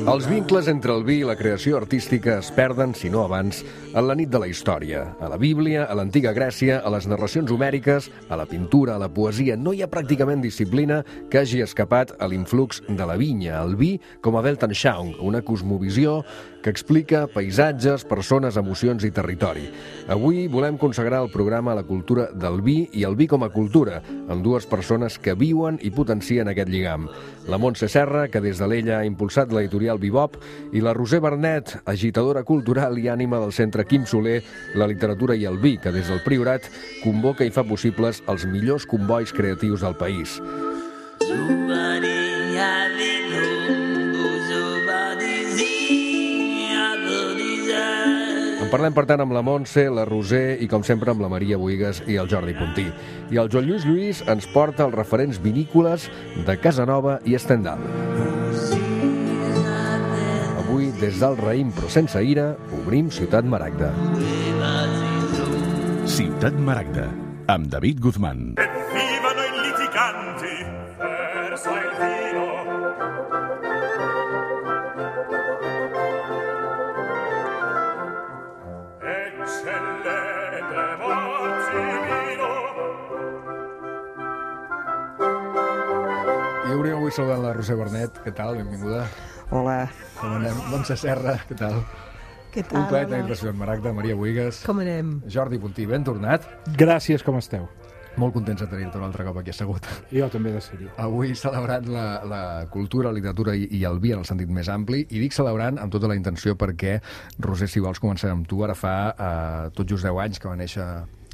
Els vincles entre el vi i la creació artística es perden, si no abans, en la nit de la història. A la Bíblia, a l'antiga Grècia, a les narracions homèriques, a la pintura, a la poesia, no hi ha pràcticament disciplina que hagi escapat a l'influx de la vinya, el vi com a Weltanschauung, una cosmovisió que explica paisatges, persones, emocions i territori. Avui volem consagrar el programa a la cultura del vi i el vi com a cultura, amb dues persones que viuen i potencien aquest lligam. La Montse Serra, que des de l'Ella ha impulsat l'editorial Bebop, i la Roser Bernet, agitadora cultural i ànima del Centre Quim Soler, la literatura i el vi, que des del Priorat convoca i fa possibles els millors combois creatius del país. En parlem, per tant, amb la Montse, la Roser i, com sempre, amb la Maria Bohigas i el Jordi Puntí. I el Joan Lluís ens porta els referents vinícoles de Casanova i Estendal. Avui, des del raïm però sense ira, obrim Ciutat Maragda. Ciutat Maragda, amb David Guzmán. Vivano i litiganti, versa il vino. I obrim avui saludant la Roser Bernet. Què tal? Benvinguda. Hola. Com anem? Montse Serra, què tal? Què tal? Un plaer tenir-te a Ciutat Maragda. Maria Bohigas. Com anem? Jordi Puntí, ben tornat. Gràcies, com esteu? Molt contents de tenir-te un altre cop aquí assegut. Jo també de ser-hi. Avui celebrant la cultura, la literatura i el vi en el sentit més ampli, i dic celebrant amb tota la intenció perquè, Roser, si vols començar amb tu, ara fa tot just 10 anys que va néixer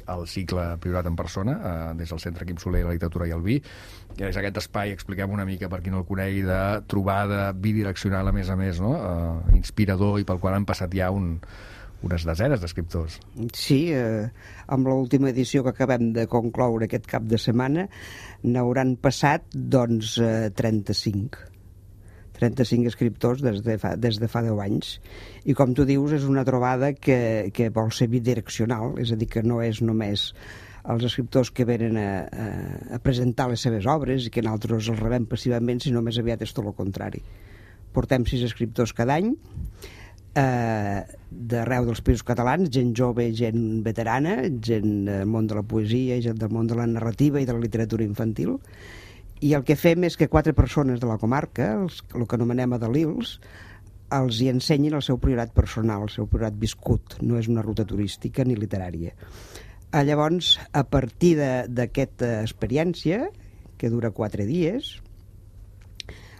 el cicle Priorat en persona, des del Centre Quim Soler, la literatura i el vi, que és aquest espai, expliquem una mica per qui no el conegui, de trobada bidireccional a més, no? Inspirador, i pel qual han passat ja unes desenes d'escriptors. Sí, amb l'última edició que acabem de concloure aquest cap de setmana n'hauran passat, doncs, 35 escriptors des de fa 10 anys. I com tu dius, és una trobada que vol ser bidireccional, és a dir, que no és només els escriptors que venen a presentar les seves obres i que nosaltres els rebem passivament, sinó més aviat és tot el contrari. Portem 6 escriptors cada any, d'arreu dels països catalans, gent jove, gent veterana, gent del món de la poesia, gent del món de la narrativa i de la literatura infantil, i el que fem és que 4 persones de la comarca, el que anomenem adalils, els hi ensenyin el seu priorat personal, el seu priorat viscut, no és una ruta turística ni literària. Llavors, a partir d'aquesta experiència, que dura 4 dies,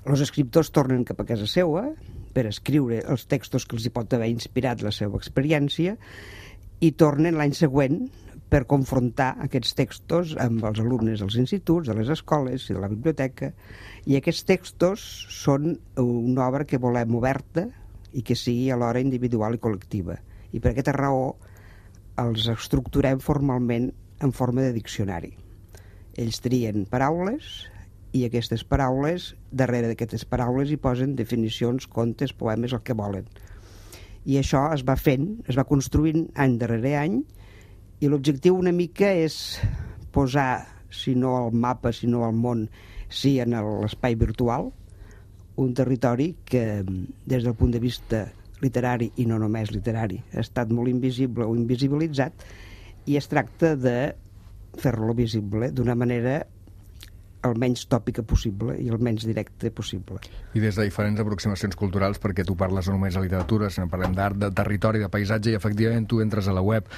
els escriptors tornen cap a casa seva per escriure els textos que els hi pot haver inspirat la seva experiència i tornen l'any següent per confrontar aquests textos amb els alumnes dels instituts, de les escoles i de la biblioteca, i aquests textos són una obra que volem oberta i que sigui alhora individual i col·lectiva. I per aquesta raó els estructurem formalment en forma de diccionari. Ells trien paraules i aquestes paraules, darrere d'aquestes paraules hi posen definicions, contes, poemes, el que volen. I això es va fent, es va construint any darrere any, i l'objectiu una mica és posar, si no al mapa, si no al món, sí en l'espai virtual, un territori que des del punt de vista literari, i no només literari, ha estat molt invisible o invisibilitzat, i es tracta de fer-lo visible d'una manera el menys tòpica possible i el menys directe possible. I des de diferents aproximacions culturals, perquè tu parles no només de literatura, sinó parlem d'art, de territori, de paisatge, i efectivament tu entres a la web,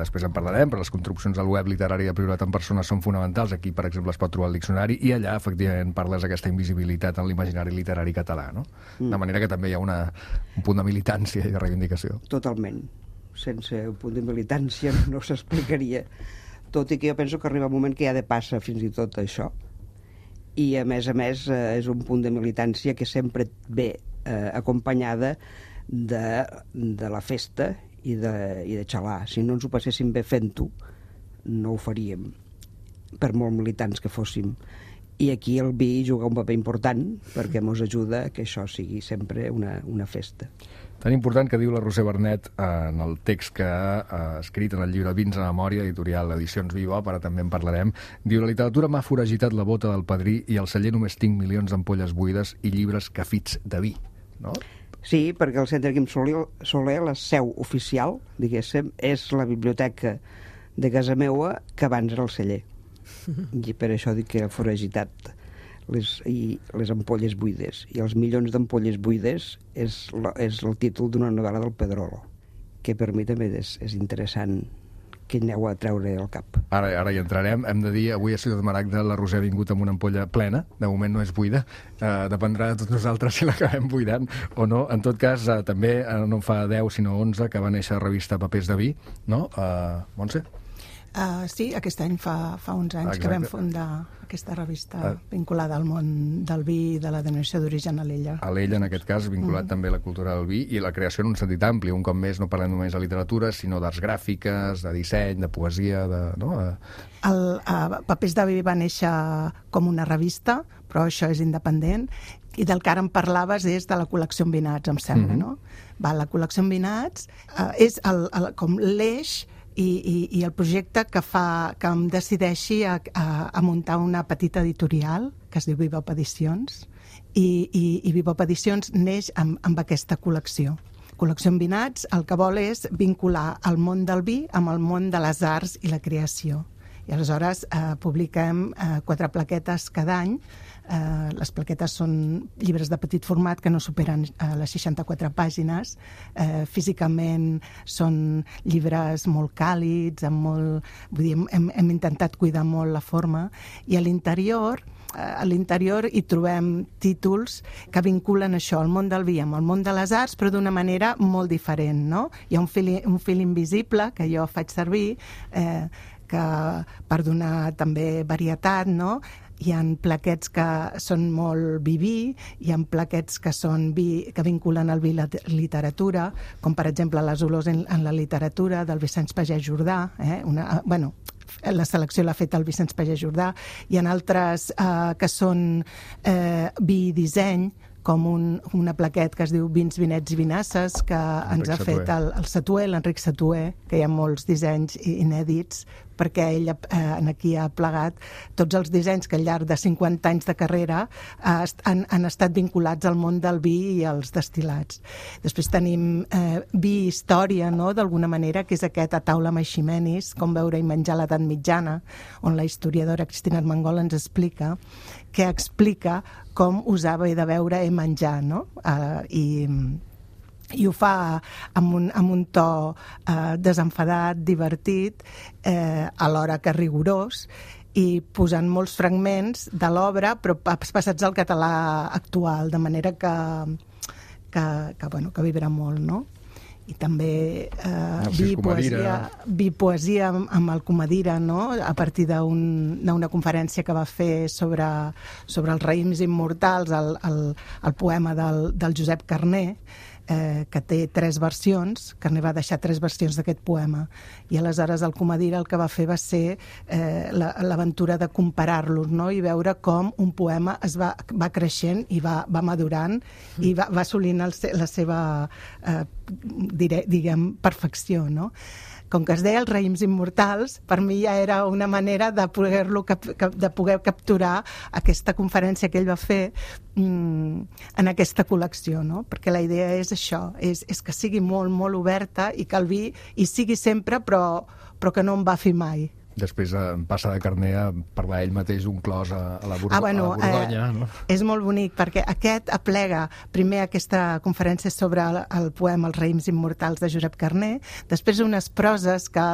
després en parlarem, però les construccions del web literari de Priorat en persona són fonamentals. Aquí, per exemple, es pot trobar el diccionari, i allà, efectivament, parles d'aquesta invisibilitat en l'imaginari literari català, no? De manera que també hi ha un punt de militància i de reivindicació. Totalment. Sense un punt de militància no s'explicaria. Tot i que jo penso que arriba un moment que ja de passa fins i tot això, i a més és un punt de militància que sempre ve acompanyada de la festa i de xalar. Si no ens ho passéssim bé fent-ho, no ho faríem, per molt militants que fóssim. I aquí el vi juga un paper important perquè ens ajuda a que això sigui sempre una festa. Tan important que diu la Roser Bernet en el text que ha escrit en el llibre Vins a memòria, editorial Edicions Bebop, ara també en parlarem, diu: la literatura m'ha foragitat la bota del padrí i al celler només tinc milions d'ampolles buides i llibres cafits de vi, no? Sí, perquè el Centre Quim Soler, la seu oficial, diguéssim, és la biblioteca de casa meua que abans era el celler. I per això dic que ha foragitat les ampolles buides. I els milions d'ampolles buides és el títol d'una novel·la del Pedrolo, que per mi també és interessant que aneu a treure al cap. Ara hi entrarem. Hem de dir, avui a Ciutat Maragda la Roser ha vingut amb una ampolla plena, de moment no és buida, dependrà de tots nosaltres si l'acabem buidant o no. En tot cas, també no fa 10 sinó 11 que va néixer la revista Papers de Vi, no? Montse? Sí, aquest any fa 11 anys que vam fundar aquesta revista vinculada al món del vi i de la denominació d'origen a l'Ella. A l'Ella, en aquest cas, vinculat també a la cultura del vi i la creació en un sentit ampli. Un cop més no parlem només de literatura, sinó d'arts gràfiques, de disseny, de poesia, Papers de vi va néixer com una revista, però això és independent, i del que ara em parlaves és de la col·lecció Envinats, em sembla, no? La col·lecció Envinats és com l'eix i el projecte que em decideixi a muntar una petita editorial que es diu Bebop Edicions, i Bebop Edicions neix amb aquesta col·lecció. Col·lecció Envinats el que vol és vincular el món del vi amb el món de les arts i la creació. I aleshores publiquem 4 plaquetes cada any. Les plaquetes són llibres de petit format que no superen les 64 pàgines. Físicament són llibres molt càlids, hem intentat cuidar molt la forma, i a l'interior hi trobem títols que vinculen això, el món del vi amb el món de les arts, però d'una manera molt diferent, no? Hi ha un fil invisible que jo faig servir per donar també varietat, no? Hi ha plaquets que són molt vi, hi ha plaquets que són vi que vinculen el vi i la literatura, com per exemple les olors en la literatura del Vicenç Pagès Jordà, la selecció l'ha fet el Vicenç Pagès Jordà. Hi ha altres que són vi i disseny, com una plaquet que es diu Vins, Vinets i Vinasses, que ens ha fet el Satué, l'Enric Satué, que hi ha molts dissenys inèdits, perquè ell aquí ha plegat tots els dissenys que al llarg de 50 anys de carrera han estat vinculats al món del vi i als destil·lats. Després tenim vi i història, no?, d'alguna manera, que és aquest A taula amb Eiximenis, com veure i menjar a l'edat mitjana, on la historiadora Cristina Armengol ens explica com usava i de veure i menjar, no? I ho fa amb un to desenfadat, divertit, alhora que rigorós, i posant molts fragments de l'obra, però passats al català actual, de manera que vibra molt, no? I també poesia amb el Comadira, no? A partir d'una conferència que va fer sobre els raïms immortals, el poema del Josep Carner, que té 3 versions. Carner va deixar 3 versions d'aquest poema, i aleshores el Comadira el que va fer va ser l'aventura de comparar-los, no? I veure com un poema va creixent i va madurant i va assolint la seva perfecció, no? Com que es deia els raïms immortals, per mi ja era una manera de poder capturar aquesta conferència que ell va fer en aquesta col·lecció, no? Perquè la idea és això, és que sigui molt, molt oberta i que el vi hi sigui sempre, però que no en va fer mai. Després passa de Carner a parlar ell mateix d'un clos a la Borgonya. No? És molt bonic, perquè aquest aplega primer aquesta conferència sobre el poema Els raïms immortals de Josep Carner, després unes proses que,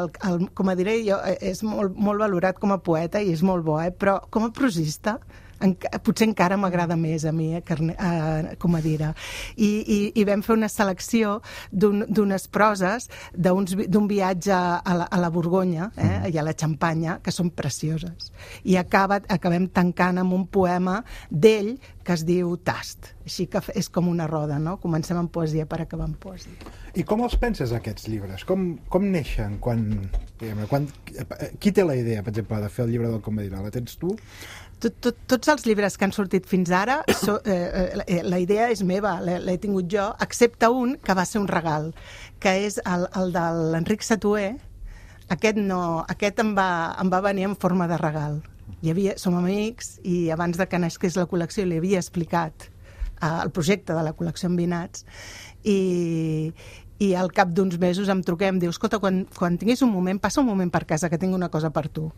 com a diré jo, és molt valorat com a poeta i és molt bo, però com a prosista potser encara m'agrada més a mi, Comadira. I vam fer una selecció d'unes proses d'un viatge a la Borgonya i a la Xampanya, que són precioses. I acabem tancant amb un poema d'ell que es diu Tast. Així que és com una roda, no? Comencem amb poesia per acabar amb poesia. I com els penses, aquests llibres? Com neixen? Qui té la idea, per exemple, de fer el llibre del Comadira? La tens tu? Tots els llibres que han sortit fins ara, la idea és meva, l'he tingut jo, excepte un que va ser un regal, que és el de l'Enric Satué. Aquest em va venir en forma de regal. Som amics i abans de que nasqués la col·lecció li havia explicat el projecte de la col·lecció Envinats i al cap d'uns mesos em truquem, em diu, escolta, quan tinguis un moment, passa un moment per casa que tinc una cosa per tu.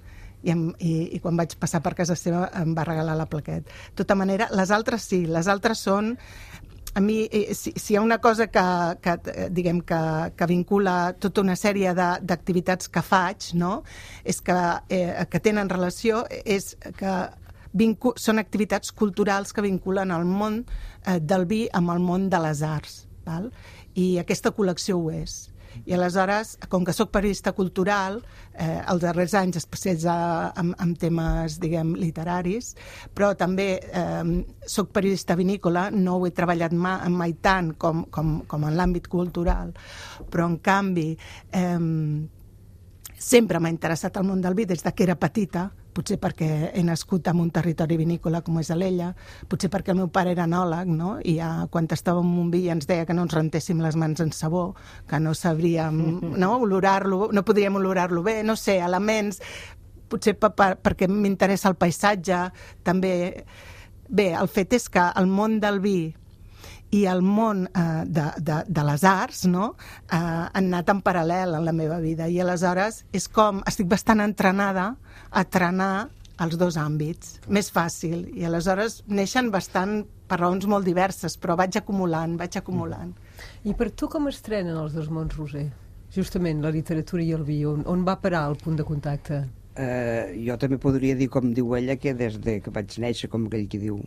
I quan vaig passar per casa seva em va regalar la plaqueta. De tota manera, les altres sí, les altres són... A mi, si hi ha una cosa que vincula tota una sèrie d'activitats que faig, no? És que tenen relació, és que són activitats culturals que vinculen el món del vi amb el món de les arts, val? I aquesta col·lecció ho és. I aleshores, com que sóc periodista cultural, els darrers anys especialitzada en temes, diguem, literaris, però també sóc periodista vinícola, no ho he treballat mai tant com en l'àmbit cultural, però en canvi sempre m'ha interessat el món del vi des que era petita, potser perquè he nascut en un territori vinícola com és Alella, potser perquè el meu pare era enòleg, no? I quan estàvem en un vi ens deia que no ens rentéssim les mans en sabó, que no sabríem olorar-lo, no podríem olorar-lo bé, no sé, elements, potser perquè m'interessa el paisatge, també. Bé, el fet és que el món del vi i el món de les arts, no? Han anat en paral·lel en la meva vida i aleshores és com estic bastant entrenada a trenar els dos àmbits, més fàcil, i aleshores neixen bastant per raons molt diverses, però vaig acumulant. I per tu com es trenen els dos mons, Roser? Justament la literatura i el vi, on va parar el punt de contacte? Jo també podria dir, com diu ella, que des que vaig néixer, com aquell que diu,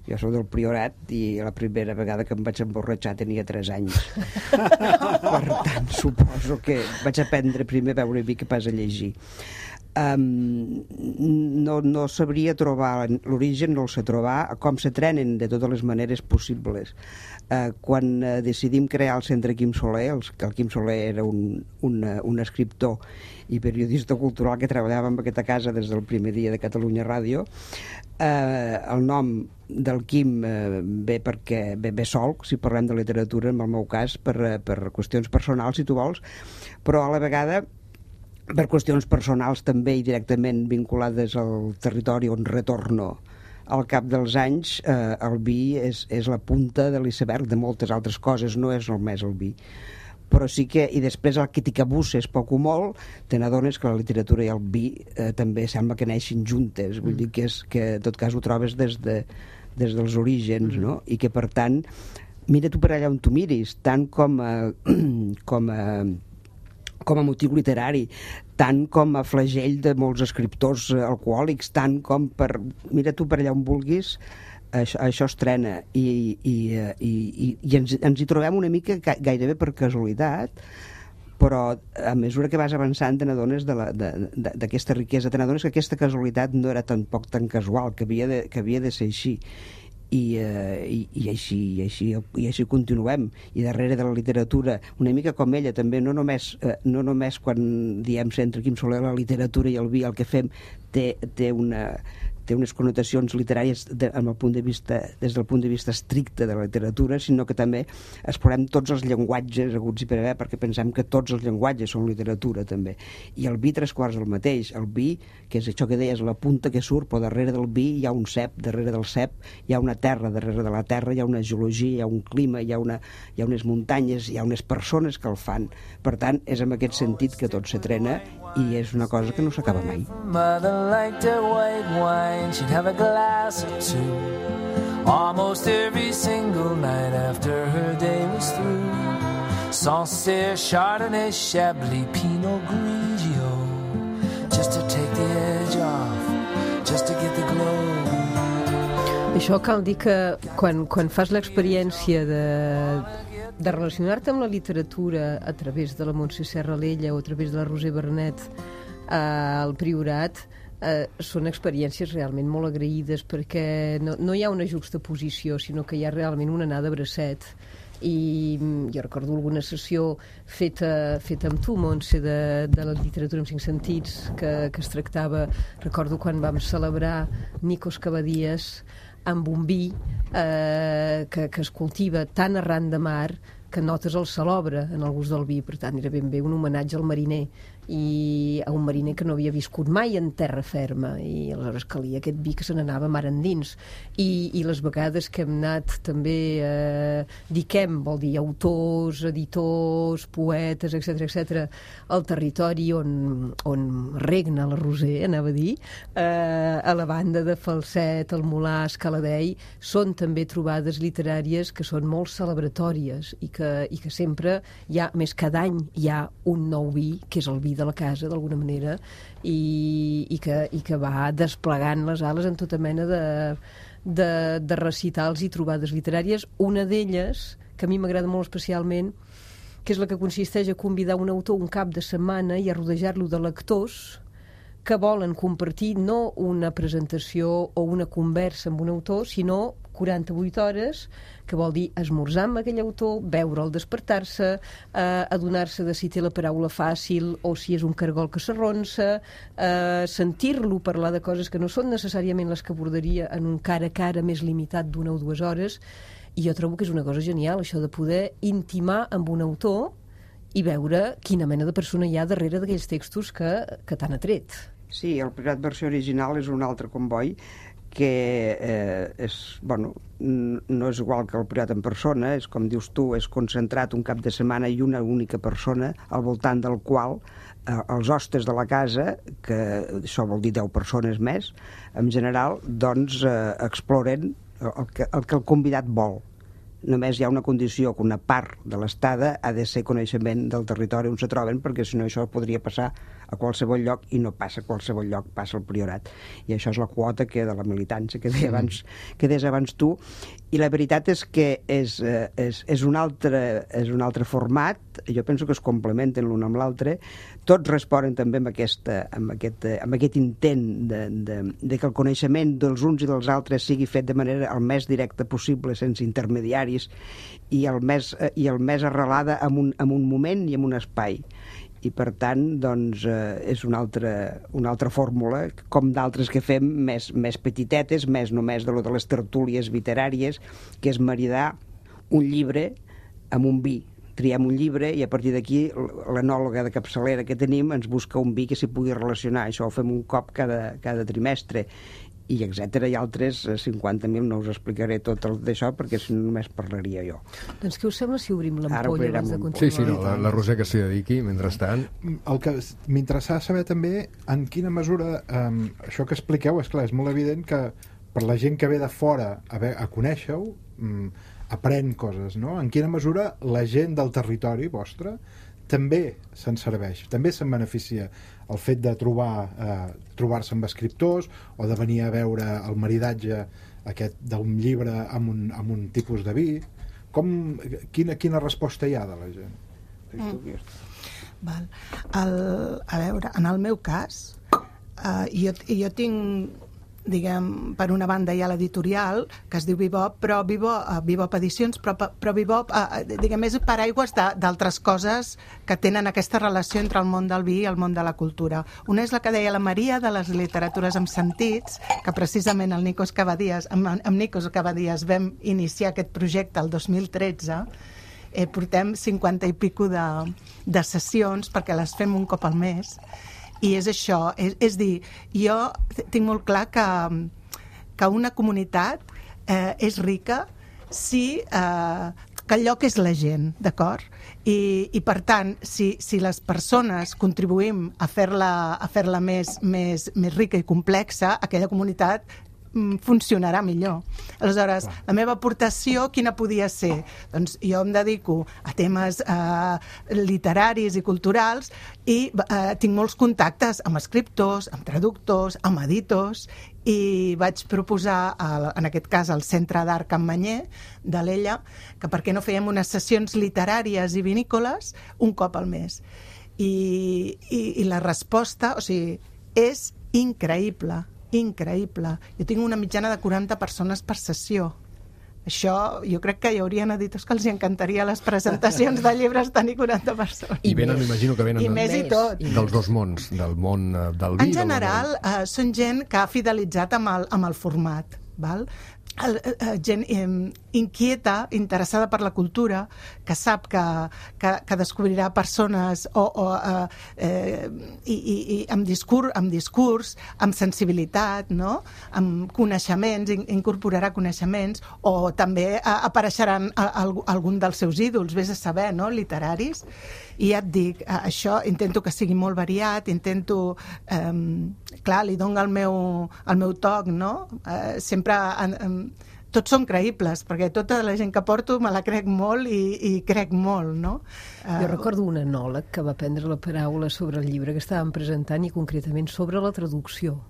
jo soc del Priorat i la primera vegada que em vaig emborratxar tenia 3 anys. Per tant, suposo que vaig aprendre primer a veure vi que pas a llegir. No sabria trobar l'origen, no el sé trobar, com se trenen de totes les maneres possibles. Quan decidim crear el Centre Quim Soler, que el Quim Soler era un escriptor i periodista cultural que treballava en aquesta casa des del primer dia de Catalunya Ràdio, el nom del Quim ve sol, si parlem de literatura, en el meu cas, per qüestions personals, si tu vols, però a la vegada per qüestions personals també i directament vinculades al territori on retorno al cap dels anys. El vi és la punta de l'iceberg de moltes altres coses, no és només el vi. Però sí que, i després el que t'hi cabusses poc o molt, te n'adones que la literatura i el vi també sembla que neixin juntes, vull dir que en tot cas ho trobes des dels orígens, no? I que per tant, mira tu per allà on tu miris, tant com a motiu literari, tant com a flagell de molts escriptors alcohòlics, tant com mira tu per allà on vulguis, això es trena i ens hi trobem una mica gairebé per casualitat, però a mesura que vas avançant te n'adones d'aquesta riquesa, te n'adones que aquesta casualitat no era tampoc tan casual, que havia de ser així. I així continuem, i darrere de la literatura una mica com ella també, no només quan diem Centre Quim Soler, la literatura i el vi el que fem té unes connotacions literàries des del punt de vista estricte de la literatura, sinó que també explorem tots els llenguatges haguts i per haver, perquè pensem que tots els llenguatges són literatura també, i el vi 3/4 el mateix. El vi, que és això que deies, la punta que surt, però darrere del vi hi ha un cep, darrere del cep hi ha una terra, darrere de la terra hi ha una geologia, hi ha un clima, hi ha unes muntanyes, hi ha unes persones que el fan. Per tant, és en aquest sentit que tot se trena i és una cosa que no s'acaba mai. She'd have a glass or two almost every single night after her day was through. Sancerre, Chardonnay, Chablis, Pinot Grigio, just to take the edge off, just to get the glow. Això cal dir que quan fas l'experiència de relacionar-te amb la literatura a través de la Montse Serra Alella o a través de la Roser Bernet al Priorat, són experiències realment molt agraïdes, perquè no hi ha una juxtaposició, sinó que hi ha realment una anada a bracet i jo recordo alguna sessió feta amb tu, Montse, de la literatura en 5 sentits, que es tractava, recordo quan vam celebrar Nikos Cavadías amb un vi que es cultiva tan arran de mar que notes el salobre en el gust del vi. Per tant, era ben bé un homenatge al mariner, i a un mariner que no havia viscut mai en terra ferma, i aleshores calia aquest vi que se n'anava mar endins. I les vegades que hem anat també diquem, vol dir autors, editors, poetes, etc al territori on regna la Roser, anava a dir, a la banda de Falset, el Molar, Escaladei, són també trobades literàries que són molt celebratòries i que sempre hi ha, més cada any hi ha un nou vi, que és el vi de la casa, d'alguna manera, i que va desplegant les ales en tota mena de recitals i trobades literàries. Una d'elles, que a mi m'agrada molt especialment, que és la que consisteix a convidar un autor un cap de setmana i a rodejar-lo de lectors que volen compartir no una presentació o una conversa amb un autor, sinó 48 hores, que vol dir esmorzar amb aquell autor, veure'l despertar-se, adonar-se de si té la paraula fàcil o si és un cargol que s'arronsa, sentir-lo parlar de coses que no són necessàriament les que abordaria en un cara a cara més limitat d'1 o 2 hores. I jo trobo que és una cosa genial, això de poder intimar amb un autor i veure quina mena de persona hi ha darrere d'aquells textos que t'han atret. Sí, el Priorat versió original és un altre comboi que no és igual que el Priorat en persona, és com dius tu, és concentrat un cap de setmana i una única persona al voltant del qual els hostes de la casa, que això vol dir 10 persones més, en general, doncs exploren el que el convidat vol. Només hi ha una condició, que una part de l'estada ha de ser coneixement del territori on se troben, perquè si no això podria passar a qualsevol lloc, i no passa a qualsevol lloc, passa al Priorat. I això és la quota de la militància que deies abans tu. I la veritat és que és un altre format, jo penso que es complementen l'un amb l'altre, tots responen també amb aquest intent de que el coneixement dels uns i dels altres sigui fet de manera el més directa possible, sense intermediaris, i el més arrelada en un moment i en un espai. I per tant, doncs, és una altra fórmula, com d'altres que fem més petitetes, més només de les tertúlies literàries, que és maridar un llibre amb un vi. Triem un llibre i a partir d'aquí l'enòloga de capçalera que tenim ens busca un vi que s'hi pugui relacionar. Això ho fem un cop cada trimestre, i etcètera, i altres 50.000. No us explicaré tot d'això perquè si no només parlaria jo. Doncs què us sembla si obrim l'ampolla abans de continuar? Sí, no, la Roser que s'hi dediqui mentrestant. El que m'interessa saber també en quina mesura això que expliqueu, esclar, és molt evident que per la gent que ve de fora a conèixer-ho aprèn coses, no? En quina mesura la gent del territori vostre també se'n serveix, també se'n beneficia el fet de trobar-se amb escriptors o de venir a veure el maridatge aquest d'un llibre amb un tipus de vi. Quina resposta hi ha de la gent? Val. A veure, en el meu cas, jo tinc, diguem, per una banda hi ha l'editorial que es diu Bebop, però Bebop Edicions, però Bebop, diguem, és paraigües d'altres coses que tenen aquesta relació entre el món del vi i el món de la cultura. Una és la que deia la Maria, de les literatures amb sentits, que precisament amb Nikos Cavadías vam iniciar aquest projecte el 2013. Portem 50 i pico de sessions perquè les fem un cop al mes. I és això, és dir, jo tinc molt clar que una comunitat és rica si que el lloc és la gent, d'acord? I per tant, si les persones contribuïm a fer-la més rica i complexa, aquella comunitat funcionarà millor. Aleshores, la meva aportació quina podia ser? Doncs jo em dedico a temes literaris i culturals i tinc molts contactes amb escriptors, amb traductors, amb editors, i vaig proposar, en aquest cas al Centre d'Art Can Manyer d'Alella, que per què no fèiem unes sessions literàries i vinícoles un cop al mes. I la resposta, o sigui, és increïble. Jo tinc una mitjana de 40 persones per sessió. Això, jo crec que hi haurien editors que els encantaria les presentacions de llibres tenir 40 persones. I venen, m'imagino que venen I més i tot. dels dos mons, del món del vi. En general, són gent que ha fidelitzat amb el format, val? Gent inquieta, interessada per la cultura, que sap que descobrirà persones i amb discurs, amb sensibilitat, no? Amb coneixements, incorporarà coneixements, o també apareixeran algun dels seus ídols, vés a saber, no? Literaris. I ja et dic, això intento que sigui molt variat, intento... clar, li dono el meu toc, no? Sempre... tots són creïbles, perquè tota la gent que porto me la crec molt i crec molt, no? Jo recordo un enòleg que va prendre la paraula sobre el llibre que estàvem presentant i concretament sobre la traducció.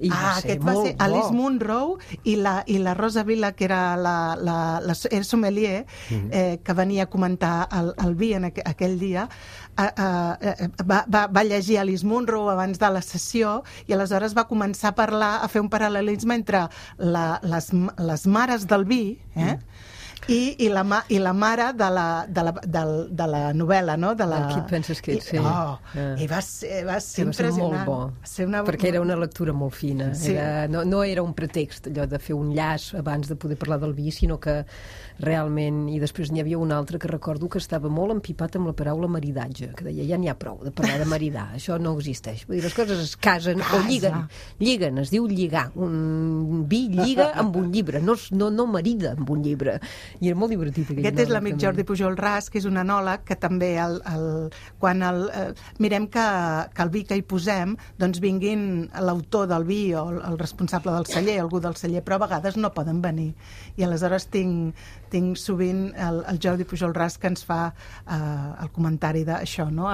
Aquest va ser Alice Munro i la Rosa Vila, que era la sommelier, que venia a comentar el vi en aquell dia, va llegir Alice Munro abans de la sessió i aleshores va començar a parlar, a fer un paral·lelisme entre les mares del vi, i la mare de la novel·la, no? Qui et penses que ets? I va ser impressionant. Va ser molt bo, perquè era una lectura molt fina. Sí. No era un pretext, allò de fer un llaç abans de poder parlar del vi, sinó que realment... I després n'hi havia un altre que recordo que estava molt empipat amb la paraula maridatge, que deia, ja n'hi ha prou de parlar de maridar, això no existeix. Vull dir, les coses es casen o lliguen, es diu lligar. Un vi lliga amb un llibre, no marida amb un llibre. I era molt divertit. Aquest és l'amic Jordi Pujol Ras, que és un enòleg que també quan mirem que el vi que hi posem doncs vinguin l'autor del vi o el responsable del celler, algú del celler, però a vegades no poden venir. I aleshores tinc sovint el Jordi Pujol Ras que ens fa el comentari d'això, no?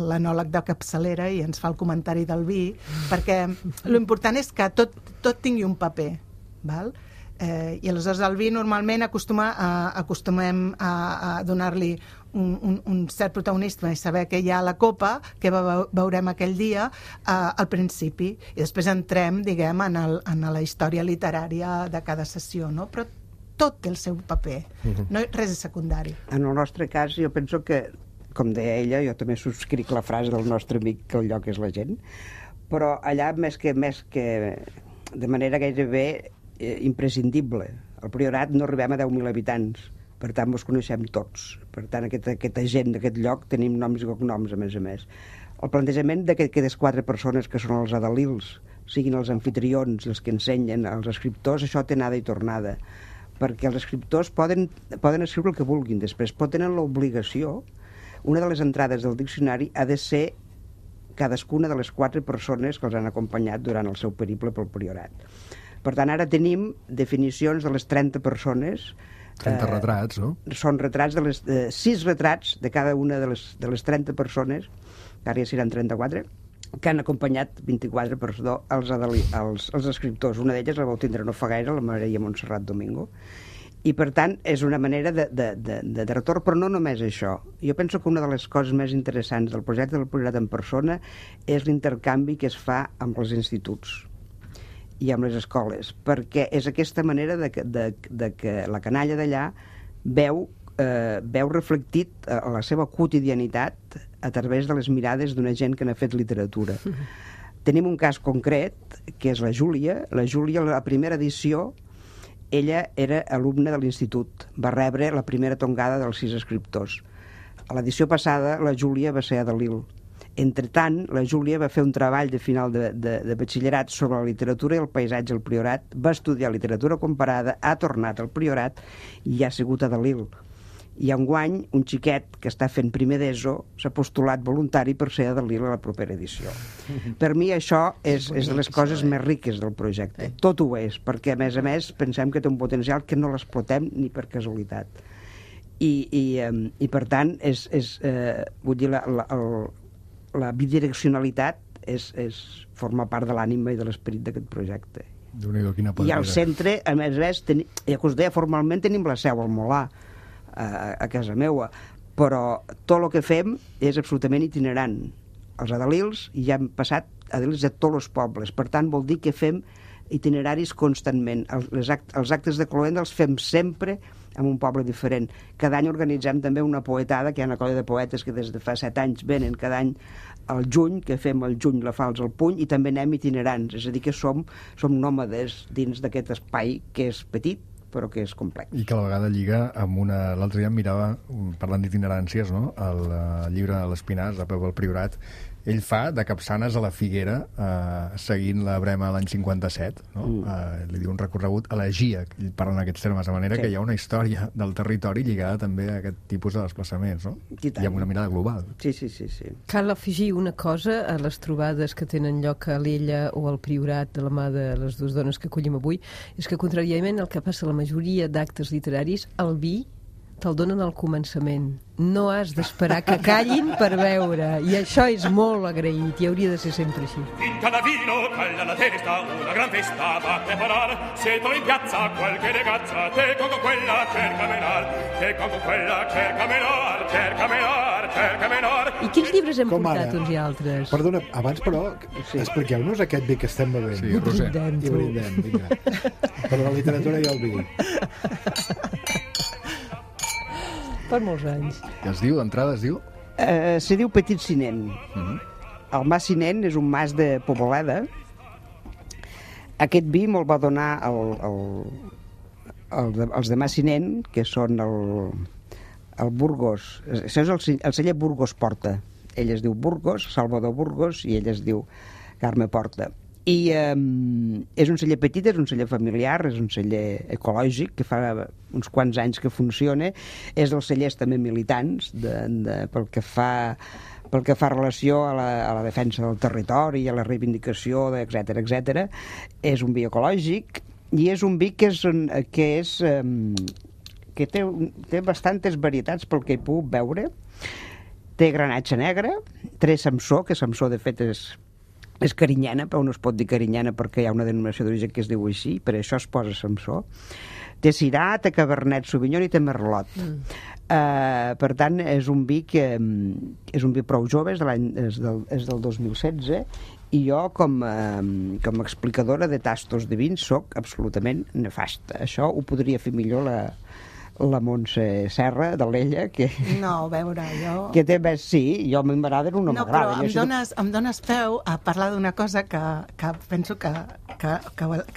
L'enòleg de capçalera, i ens fa el comentari del vi, perquè l'important és que tot tingui un paper, val? I aleshores el vi normalment acostumem a donar-li un cert protagonisme i saber què hi ha a la copa, què veurem aquell dia al principi, i després entrem, diguem, en la història literària de cada sessió, no? Però tot té el seu paper, no, res és secundari. En el nostre cas, jo penso que, com deia ella, jo també subscric la frase del nostre amic que el lloc és la gent, però allà més que de manera gairebé imprescindible. Al Priorat no arribem a 10.000 habitants, per tant ens coneixem tots. Per tant, aquesta gent d'aquest lloc tenim noms i cognoms, a més. El plantejament d'aquestes 4 persones que són els adalils, siguin els anfitrions, els que ensenyen, els escriptors, això té anada i tornada, perquè els escriptors poden escriure el que vulguin, després pot tenir l'obligació. Una de les entrades del diccionari ha de ser cadascuna de les 4 persones que els han acompanyat durant el seu periple pel Priorat. Per tant, ara tenim definicions de les 30 persones. 30 retrats, no? Són retrats 6 retrats de cada una de les 30 persones, que ara ja seran 34, que han acompanyat 24, els escriptors. Una d'elles la vau tindre no fa gaire, la Maria Montserrat Domingo. I, per tant, és una manera de retorn, però no només això. Jo penso que una de les coses més interessants del projecte del Priorat en persona és l'intercanvi que es fa amb els instituts i amb les escoles, perquè és aquesta manera de que la canalla d'allà veu reflectit la seva quotidianitat a través de les mirades d'una gent que n'ha fet literatura. Tenim un cas concret, que és la Júlia. La Júlia, la primera edició, ella era alumna de l'institut, va rebre la primera tongada dels 6 escriptors. A l'edició passada, la Júlia va ser adalil. Entretant, la Júlia va fer un treball de final de batxillerat sobre la literatura i el paisatge al Priorat, va estudiar literatura comparada, ha tornat al Priorat i ha sigut adalil. I enguany, un xiquet que està fent primer d'ESO s'ha postulat voluntari per ser adalil a la propera edició. Per mi això és de les coses més riques del projecte. Tot ho és, perquè a més pensem que té un potencial que no l'explotem ni per casualitat. I per tant, vull dir, la bidireccionalitat forma part de l'ànima i de l'esperit d'aquest projecte. I al centre, a més, ja que us deia, formalment tenim la seu al Molar, a casa meua, però tot el que fem és absolutament itinerant. Els adalils ja han passat adalils de tots els pobles, per tant vol dir que fem itineraris constantment. Els actes de cloenda els fem sempre en un poble diferent. Cada any organitzem també una poetada, que hi ha una colla de poetes que des de fa 7 anys venen cada any al juny, que fem el juny la falç al puny, i també anem itinerants, és a dir, que som nòmades dins d'aquest espai que és petit, però que és complex. I que a la vegada lliga amb una... L'altre dia em mirava, parlant d'itineràncies, no? El llibre L'Espinàs, de Pep el Priorat, ell fa de Capçanes a la Figuera, seguint la Brema l'any 57, no? Li diu un recorregut a la GIA, ell parla en aquests termes, de manera que hi ha una història del territori lligada també a aquest tipus de desplaçaments, no? I amb una mirada global. Sí. Cal afegir una cosa a les trobades que tenen lloc a l'Ella o al Priorat de la mà de les dues dones que acollim avui, és que, contràriament al que passa a la majoria d'actes literaris, el vi te'l donen al començament. No has d'esperar que callin per beure. I això és molt agraït i hauria de ser sempre així. In cada vino calla la testa, una gran festa va a preparar. Se trovi in piazza qualche ragazza, te con quella cerca menar, te con quella cerca menar, cerca menar, cerca menar. I quins llibres hem Com portat ara? uns i altres? Perdona, abans però, expliqueu-nos aquest vi que estem bevent. Sí, Roser. I brindem, vinga. Per la literatura i el vi. Per molts anys. I es diu, d'entrada es diu? Se diu Petit Cinent. El Mas Cinent és un mas de Poboleda. Aquest vi me'l va donar els de Mas Cinent, que són el Burgos. Això és el celler Burgos Porta. Ell es diu Burgos, Salvador Burgos, i ell es diu Carme Porta. I és un celler petit, és un celler familiar, és un celler ecològic, que fa uns quants anys que funciona. És dels cellers també militants, pel que fa relació a la defensa del territori, a la reivindicació, etc. És un vi ecològic, i és un vi que té bastantes varietats pel que he pogut veure. Té granatge negre, té Samsó, que Samsó de fet és carinyana, però no es pot dir carinyana perquè hi ha una denominació d'origen que es diu així, per això es posa Samsó. Té Syrah, té Cabernet Sauvignon i té Merlot. Per tant, és un vi és un vi prou jove, és del 2016, i jo com a explicadora de tastos de vins soc absolutament nefasta. Això ho podria fer millor la Montse Serra de l'Ella, que... No, a veure, jo... Que té més, sí, jo m'agrada, no m'agrada. No, però em dones peu a parlar d'una cosa que penso que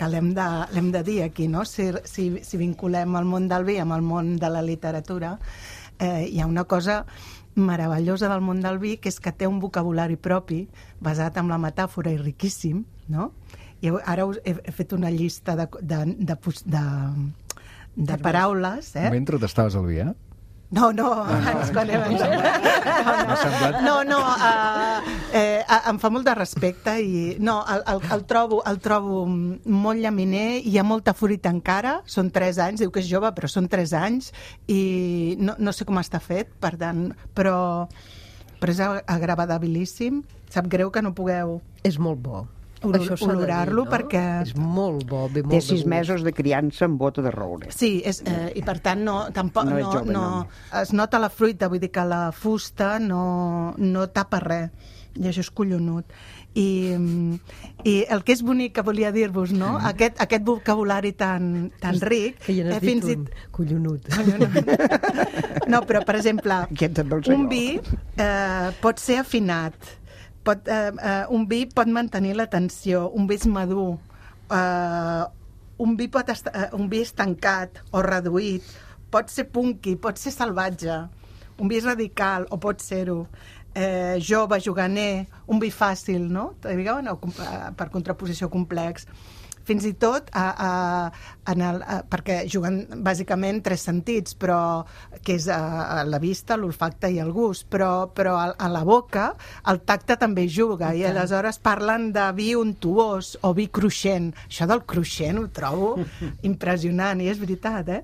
l'hem de dir aquí, no? Si vinculem el món del vi amb el món de la literatura, hi ha una cosa meravellosa del món del vi, que és que té un vocabulari propi, basat en la metàfora i riquíssim, no? I ara he fet una llista de paraules, Mentre t'estaves al vi, No, abans, quan hem em fa molt de respecte i el trobo molt llaminer, hi ha molta fruita encara, són 3 anys, diu que és jove, però són 3 anys i no sé com està fet, per tant, però és agradabilíssim. Sap greu que no pugueu... És molt bo. Olorar-lo, perquè... És molt bo, ve molt Té 6 mesos de criança amb bota de roure. Sí, i per tant tampoc es nota la fruita, vull dir que la fusta no tapa res, i això és collonut. I el que és bonic, que volia dir-vos, no? Aquest vocabulari tan ric... Que ja n'has dit un, collonut. No, però, per exemple, un vi pot ser afinat, un vi pot mantenir l'atenció, un vi és madur, un vi estancat o reduït, pot ser punky, pot ser salvatge, un vi és radical o pot ser-ho, jove, juganer, un vi fàcil, no? Per contraposició complex. Fins i tot perquè juguen bàsicament 3 sentits, però que és la vista, l'olfacte i el gust, però a la boca el tacte també juga, i aleshores parlen de vi untuós o vi cruixent. Això del cruixent ho trobo impressionant, i és veritat,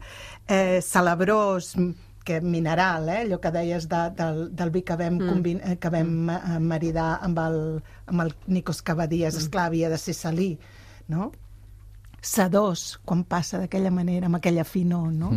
Celebrós, que mineral, allò que deies del vi que vam maridar amb el Nikos Kavadías, esclar, havia de ser salí, no? Sedós, quan passa d'aquella manera, amb aquella finor, no?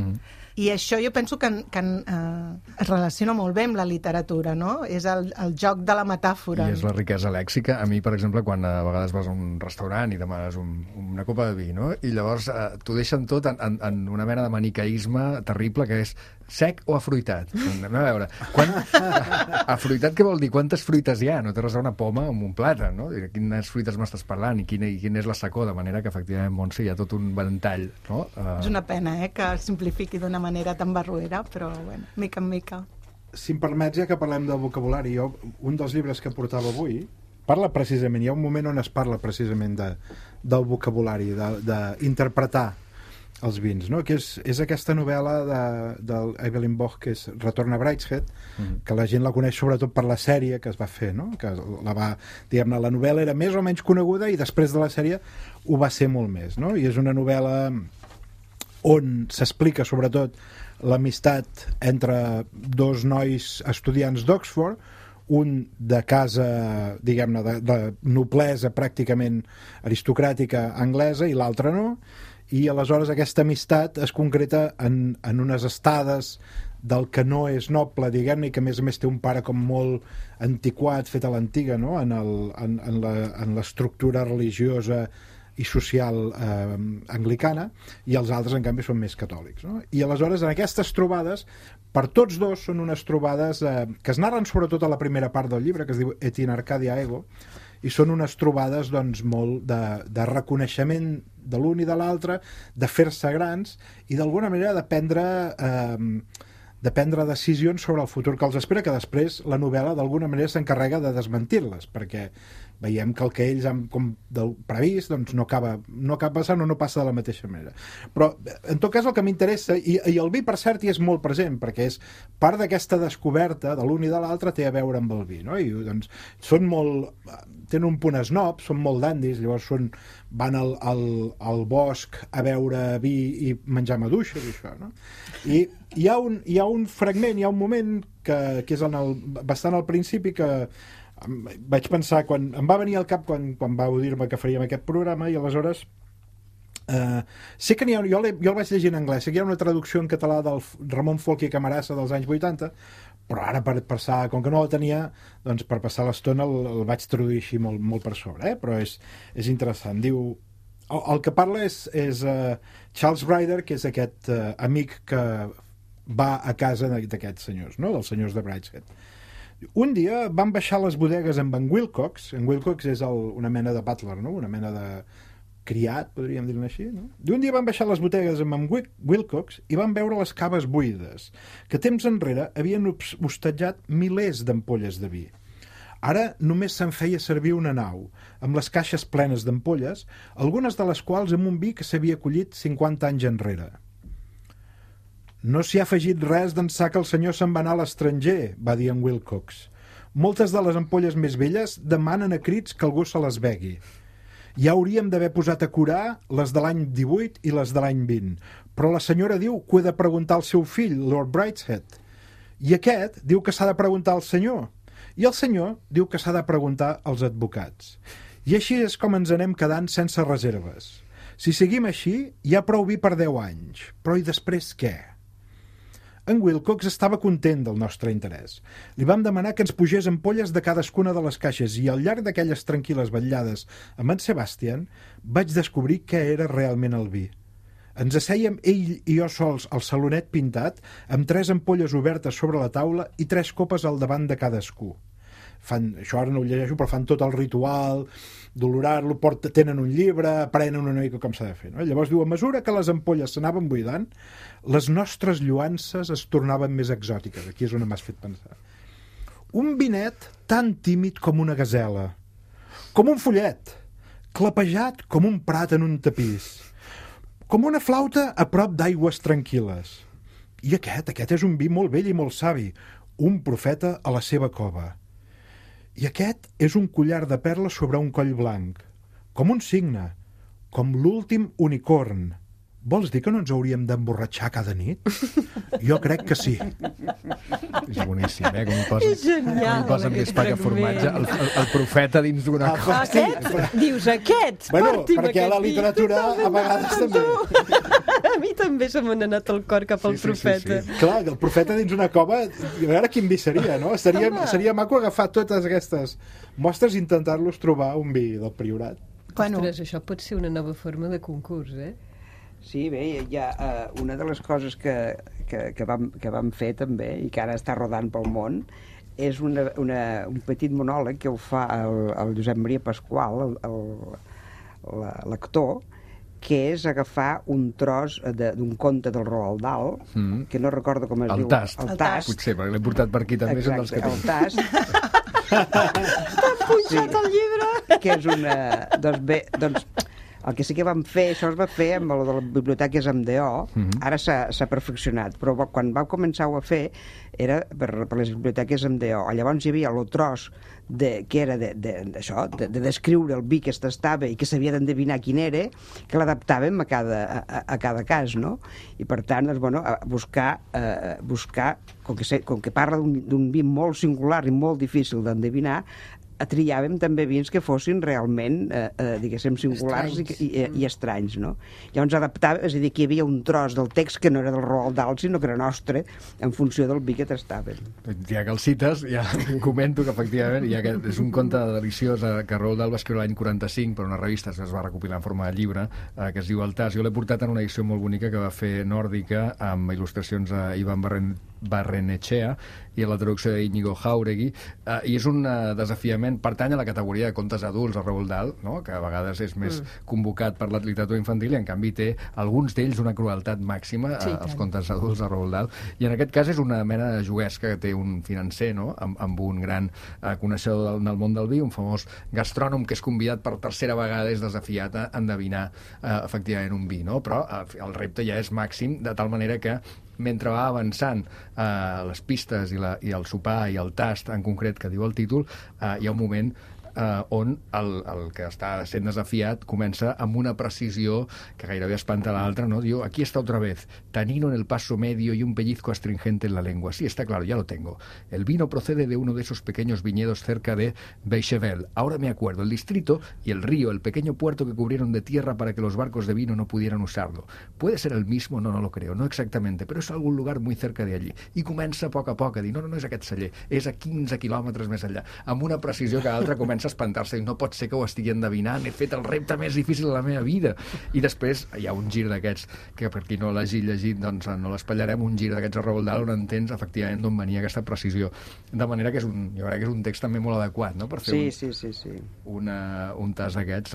I això jo penso que es relaciona molt bé amb la literatura, no? És el joc de la metàfora. I és la riquesa lèxica. A mi, per exemple, quan a vegades vas a un restaurant i demanes una copa de vi, no? I llavors t'ho deixen tot en una mena de maniqueisme terrible, que és sec o afruitat. Anem a veure. Afruitat què vol dir? Quantes fruites hi ha? No té res a una poma amb un plàtan, no? Quines fruites m'estàs parlant i quina és la secor? De manera que, efectivament, Montse, hi ha tot un ventall, no? És una pena, que simplifiqui d'una manera tan barruera, però, bueno, mica en mica. Si em permets, ja que parlem del vocabulari, un dels llibres que portava avui parla precisament, hi ha un moment on es parla precisament del vocabulari, d'interpretar els vins, no? Que és aquesta novel·la d'Evelyn Waugh, que és Retorn a Brideshead, que la gent la coneix sobretot per la sèrie que es va fer, no? Que diguem-ne, la novel·la era més o menys coneguda i després de la sèrie ho va ser molt més, no? I és una novel·la on s'explica sobretot l'amistat entre dos nois estudiants d'Oxford, un de casa, diguem-ne, de noblesa pràcticament aristocràtica anglesa i l'altre no, i aleshores aquesta amistat es concreta en unes estades del que no és noble, diguem-ne, i que a més té un pare com molt antiquat, fet a l'antiga, no? en l'estructura religiosa i social anglicana, i els altres, en canvi, són més catòlics, no? I aleshores, en aquestes trobades, per tots dos són unes trobades que es narren sobretot a la primera part del llibre, que es diu Et in Arcadia Ego, i són unes trobades doncs, molt de reconeixement de l'un i de l'altre, de fer-se grans i d'alguna manera de prendre decisions sobre el futur que els espera, que després la novel·la d'alguna manera s'encarrega de desmentir-les, perquè veiem que el que ells han previst doncs no acaba passant o no passa de la mateixa manera. Però en tot cas el que m'interessa, i el vi per cert hi és molt present, perquè és part d'aquesta descoberta de l'un i de l'altre té a veure amb el vi, no? I doncs tenen un punt esnob, són molt dandis, llavors van al bosc a beure vi i menjar maduixes i això, no? I hi ha un fragment, hi ha un moment que és bastant al principi, que vaig pensar, em va venir al cap quan vau dir-me que faríem aquest programa, i aleshores sé que jo el vaig llegir en anglès, sé que hi ha una traducció en català del Ramon Folch i Camarasa dels anys 80, però ara com que no la tenia, doncs per passar l'estona el vaig traduir així molt per sobre, però és interessant. Diu, el que parla és Charles Ryder, que és aquest amic que va a casa d'aquests senyors, no? Dels senyors de Brideshead. Un dia van baixar les bodegues amb en Wilcox. En Wilcox és una mena de butler, no? Una mena de criat, podríem dir-ne així, no? I un dia van baixar les bodegues amb en Wilcox i van veure les caves buides, que temps enrere havien hostatjat milers d'ampolles de vi. Ara només se'n feia servir una nau, amb les caixes plenes d'ampolles, algunes de les quals amb un vi que s'havia collit 50 anys enrere. No s'hi ha afegit res d'ençà que el senyor se'n va anar a l'estranger, va dir en Wilcox. Moltes de les ampolles més velles demanen a crits que algú se les begui. Ja hauríem d'haver posat a curar les de l'any 18 i les de l'any 20, però la senyora diu que ho he de preguntar al seu fill, Lord Brideshead. I aquest diu que s'ha de preguntar al senyor. I el senyor diu que s'ha de preguntar als advocats. I així és com ens anem quedant sense reserves. Si seguim així, hi ha prou vi per 10 anys. Però i després què? En Wilcox estava content del nostre interès. Li vam demanar que ens pugés ampolles de cadascuna de les caixes i al llarg d'aquelles tranquil·les vetllades amb en Sebastian vaig descobrir què era realment el vi. Ens assèiem ell i jo sols al salonet pintat amb 3 ampolles obertes sobre la taula i 3 copes al davant de cadascú. Això ara no ho llegeixo, però fan tot el ritual d'olorar-lo, tenen un llibre, aprenen una mica com s'ha de fer, no? Llavors diu, a mesura que les ampolles s'anaven buidant, les nostres lluances es tornaven més exòtiques. Aquí és on m'has fet pensar. Un vinet tan tímid com una gasela, com un follet, clapejat com un prat en un tapís, com una flauta a prop d'aigües tranquil·les. I aquest és un vi molt vell i molt savi, un profeta a la seva cova. I aquest és un collar de perles sobre un coll blanc, com un cigne, com l'últim unicorn. Vols dir que no ens hauríem d'emborratxar cada nit? Jo crec que sí. És boníssim, com hi posen més pa que formatge. El profeta dins d'una cosa. Aquest? Dius aquest? Bueno, perquè la literatura a vegades també. mi també se m'ha anat el cor cap al profeta. Sí. Clar, el profeta dins una cova, a veure quin vi seria, no? Seria maco agafar totes aquestes mostres i intentar-los trobar un vi del Priorat. Ostres, això pot ser una nova forma de concurs, Sí, bé, hi ha una de les coses que vam fer també i que ara està rodant pel món és un petit monòleg que ho fa el Josep Maria Pasqual, l'actor, que és agafar un tros d'un conte del Roald Dahl, que no recordo com es diu. El Tast. Potser, perquè l'he portat per aquí també. Exacte, el Tast. T'han punxat el llibre! Que és una... Doncs bé, el que sí que vam fer, això es va fer amb el de la biblioteca MDO, ara s'ha perfeccionat, però quan vau començar-ho a fer era per les biblioteques MDO. Llavors hi havia el tros que era de descriure el vi que es tastava i que s'havia d'endevinar quin era, que l'adaptàvem a cada cas, no? I per tant, buscar com que parla d'un vi molt singular i molt difícil d'endevinar, triàvem també vins que fossin realment, diguéssim, singulars i estranys, no? Llavors adaptàvem, és a dir, que hi havia un tros del text que no era del Roald Dahl, sinó que era nostre, en funció del vi que tastàvem. Ja que el cites, ja comento que efectivament és un conte deliciós que Roald Dahl va escriure l'any 45 per una revista que es va recopilar en forma de llibre, que es diu El Tast. Jo l'he portat en una edició molt bonica que va fer Nòrdica, amb il·lustracions a Ivan Barrenechea i a la traducció d'Iñigo Jauregui, i és un desafiament, pertany a la categoria de contes adults a Roald Dahl, no? Que a vegades és més convocat per la literatura infantil i en canvi té alguns d'ells una crueltat màxima, els contes adults a Roald Dahl, i en aquest cas és una mena de juguesca que té un financer, no? amb un gran coneixedor del món del vi, un famós gastrònom que és convidat per tercera vegada, és desafiat a endevinar efectivament un vi, no? Però el repte ja és màxim, de tal manera que mentre va avançant les pistes i el sopar i el tast en concret que diu el títol, hi ha un moment on el que està sent desafiat comença amb una precisió que gairebé espanta l'altre, ¿no? Diu, aquí está otra vez, tanino en el paso medio y un pellizco astringente en la lengua. Sí, está claro, ya lo tengo. El vino procede de uno de esos pequeños viñedos cerca de Beichevel. Ahora me acuerdo, el distrito y el río, el pequeño puerto que cubrieron de tierra para que los barcos de vino no pudieran usarlo. ¿Puede ser el mismo? No lo creo, no exactamente, pero es algún lugar muy cerca de allí. I comença a poc a dir, no és aquest celler, és a 15 quilòmetres més enllà, amb una precisió que l'altre comença a espantar-se i no pot ser que ho estigui endevinant, he fet el repte més difícil de la meva vida. I després hi ha un gir d'aquests que per qui no l'hagi llegit doncs no l'espatllarem, un gir d'aquests a Roald Dahl on entens efectivament d'on venia aquesta precisió, de manera que jo crec que és un text també molt adequat, no? Per fer un tast d'aquests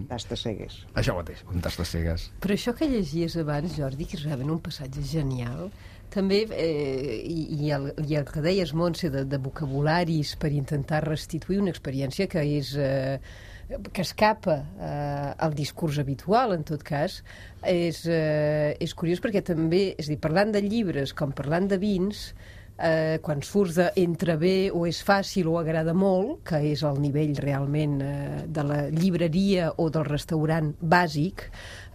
tast de cegues. Això mateix, un tast de cegues. Però això que llegies abans, Jordi, que és realment un passatge genial, també, i el que deies, Montse, de vocabularis per intentar restituir una experiència que és que escapa al discurs habitual, en tot cas, és curiós perquè també, és a dir, parlant de llibres com parlant de vins, quan surts d'entre bé o és fàcil o agrada molt, que és el nivell realment de la llibreria o del restaurant bàsic,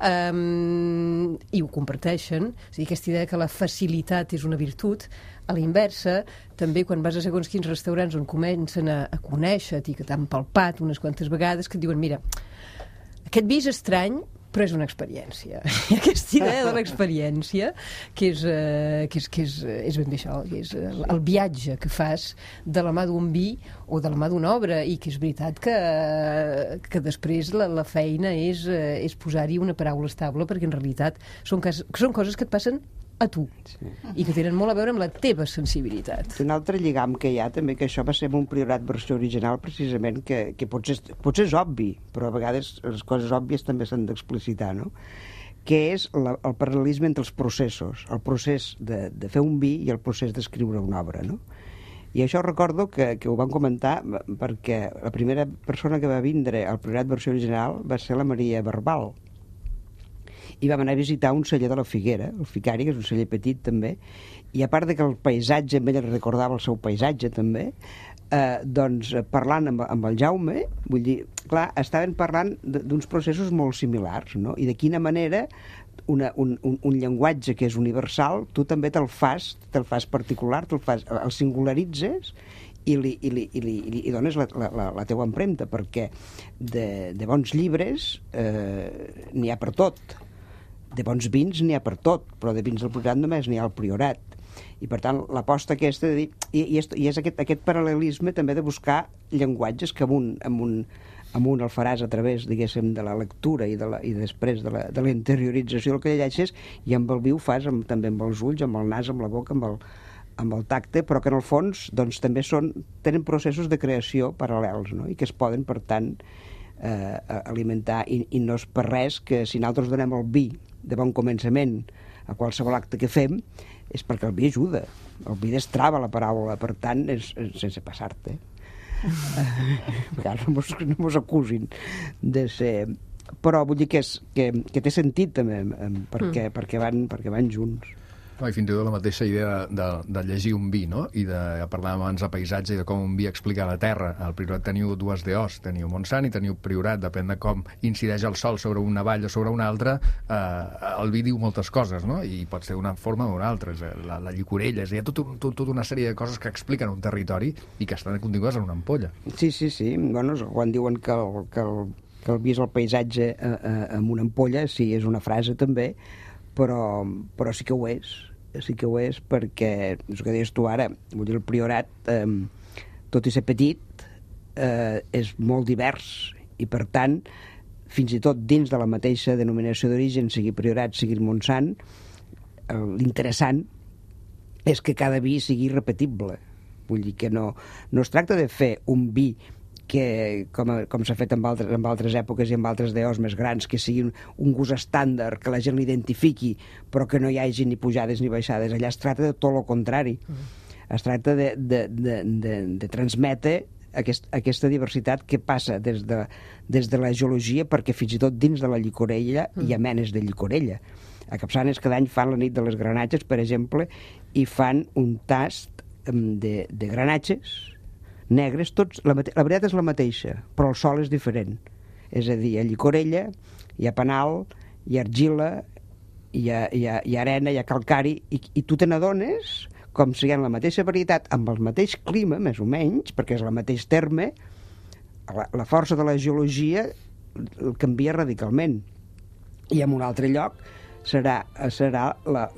i ho comparteixen, és a dir, aquesta idea que la facilitat és una virtut. A la inversa, també quan vas a segons quins restaurants on comencen a conèixer-te i que t'han palpat unes quantes vegades, que et diuen, mira, aquest vi és estrany, però és una experiència. I aquesta idea de l'experiència, que és ben bé això, que és el viatge que fas de la mà d'un vi o de la mà d'una obra, i que és veritat que després la feina és posar-hi una paraula estable, perquè en realitat són coses que et passen a tu, i que tenen molt a veure amb la teva sensibilitat. Un altre lligam que hi ha també, que això va ser un Priorat versió original, precisament, que potser és obvi, però a vegades les coses òbvies també s'han d'explicitar, no? Que és el paral·lelisme entre els processos, el procés de fer un vi i el procés d'escriure una obra, no? I això recordo que ho vam comentar perquè la primera persona que va vindre al Priorat versió original va ser la Maria Barbal, i vam anar a visitar un celler de la Figuera, el Ficari, que és un celler petit també, i a part de que el paisatge amb ell recordava el seu paisatge també, doncs parlant amb el Jaume, vull dir, clar, estaven parlant d'uns processos molt similars, no? I de quina manera un llenguatge que és universal, tu també te'l fas particular, el singularitzes i dones la teua empremta, perquè de bons llibres n'hi ha per tot. de bons vins n'hi ha per tot, però de vins del Priorat només n'hi ha al Priorat. I per tant l'aposta aquesta de dir, i és aquest paral·lelisme també de buscar llenguatges que amunt el faràs a través, diguéssim, de la lectura i després de la interiorització del que llegeixes, i amb el vi ho fas també amb els ulls, amb el nas, amb la boca, amb el tacte, però que en el fons doncs, també tenen processos de creació paral·lels, no? I que es poden, per tant, alimentar, i no és per res que si nosaltres donem el vi de bon començament a qualsevol acte que fem, és perquè el vi ajuda, el vi destrava la paraula, per tant, és sense passar-te. No mos acusin de ser... Però vull dir que té sentit també, perquè van junts. I fins i tot la mateixa idea de llegir un vi, no? I parlàvem abans de paisatge i de com un vi explica la terra. Al Priorat teniu dues DOs, teniu Montsant i teniu Priorat, depèn de com incideix el sol sobre una vall o sobre una altra, el vi diu moltes coses, no? I pot ser d'una forma o d'una altra. La llicorella, hi ha tota una sèrie de coses que expliquen un territori i que estan contingudes en una ampolla. Sí. Bueno, quan diuen que el vi és el paisatge amb una ampolla, sí, és una frase també, però sí que ho és, perquè és el que deies tu ara, vull dir, el Priorat, tot i ser petit, és molt divers, i per tant, fins i tot dins de la mateixa denominació d'origen, sigui Priorat, sigui Montsant, l'interessant és que cada vi sigui repetible. Vull dir que no es tracta de fer un vi que, com s'ha fet en altres èpoques i en altres DOs més grans, que sigui un gust estàndard, que la gent l'identifiqui, però que no hi hagi ni pujades ni baixades. Allà es tracta de tot el contrari. Es tracta de transmetre aquesta diversitat que passa des de la geologia, perquè fins i tot dins de la llicorella hi ha menes de llicorella. A Capçanes cada any fan la nit de les granatges, per exemple, i fan un tast de granatges negres, tots, la veritat és la mateixa, però el sòl és diferent. És a dir, hi ha llicorella, hi ha penal, hi ha argila, hi ha arena, hi ha calcari, i tu te n'adones com si hi ha la mateixa varietat, amb el mateix clima, més o menys, perquè és el mateix terme, la força de la geologia canvia radicalment. I en un altre lloc serà la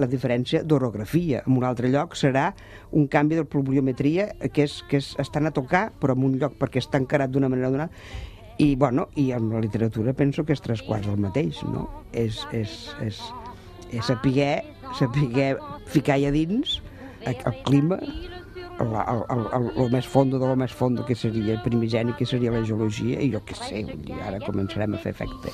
diferència d'orografia. En un altre lloc serà un canvi de pluviometria que estan a tocar, però en un lloc perquè està encarat d'una manera o d'una altra. I en la literatura penso que és tres quarts el mateix, no? És saber ficar allà dins el clima, el més fondo de lo més fondo, que seria el primigeni, que seria la geologia, i jo què sé, ara començarem a fer efecte.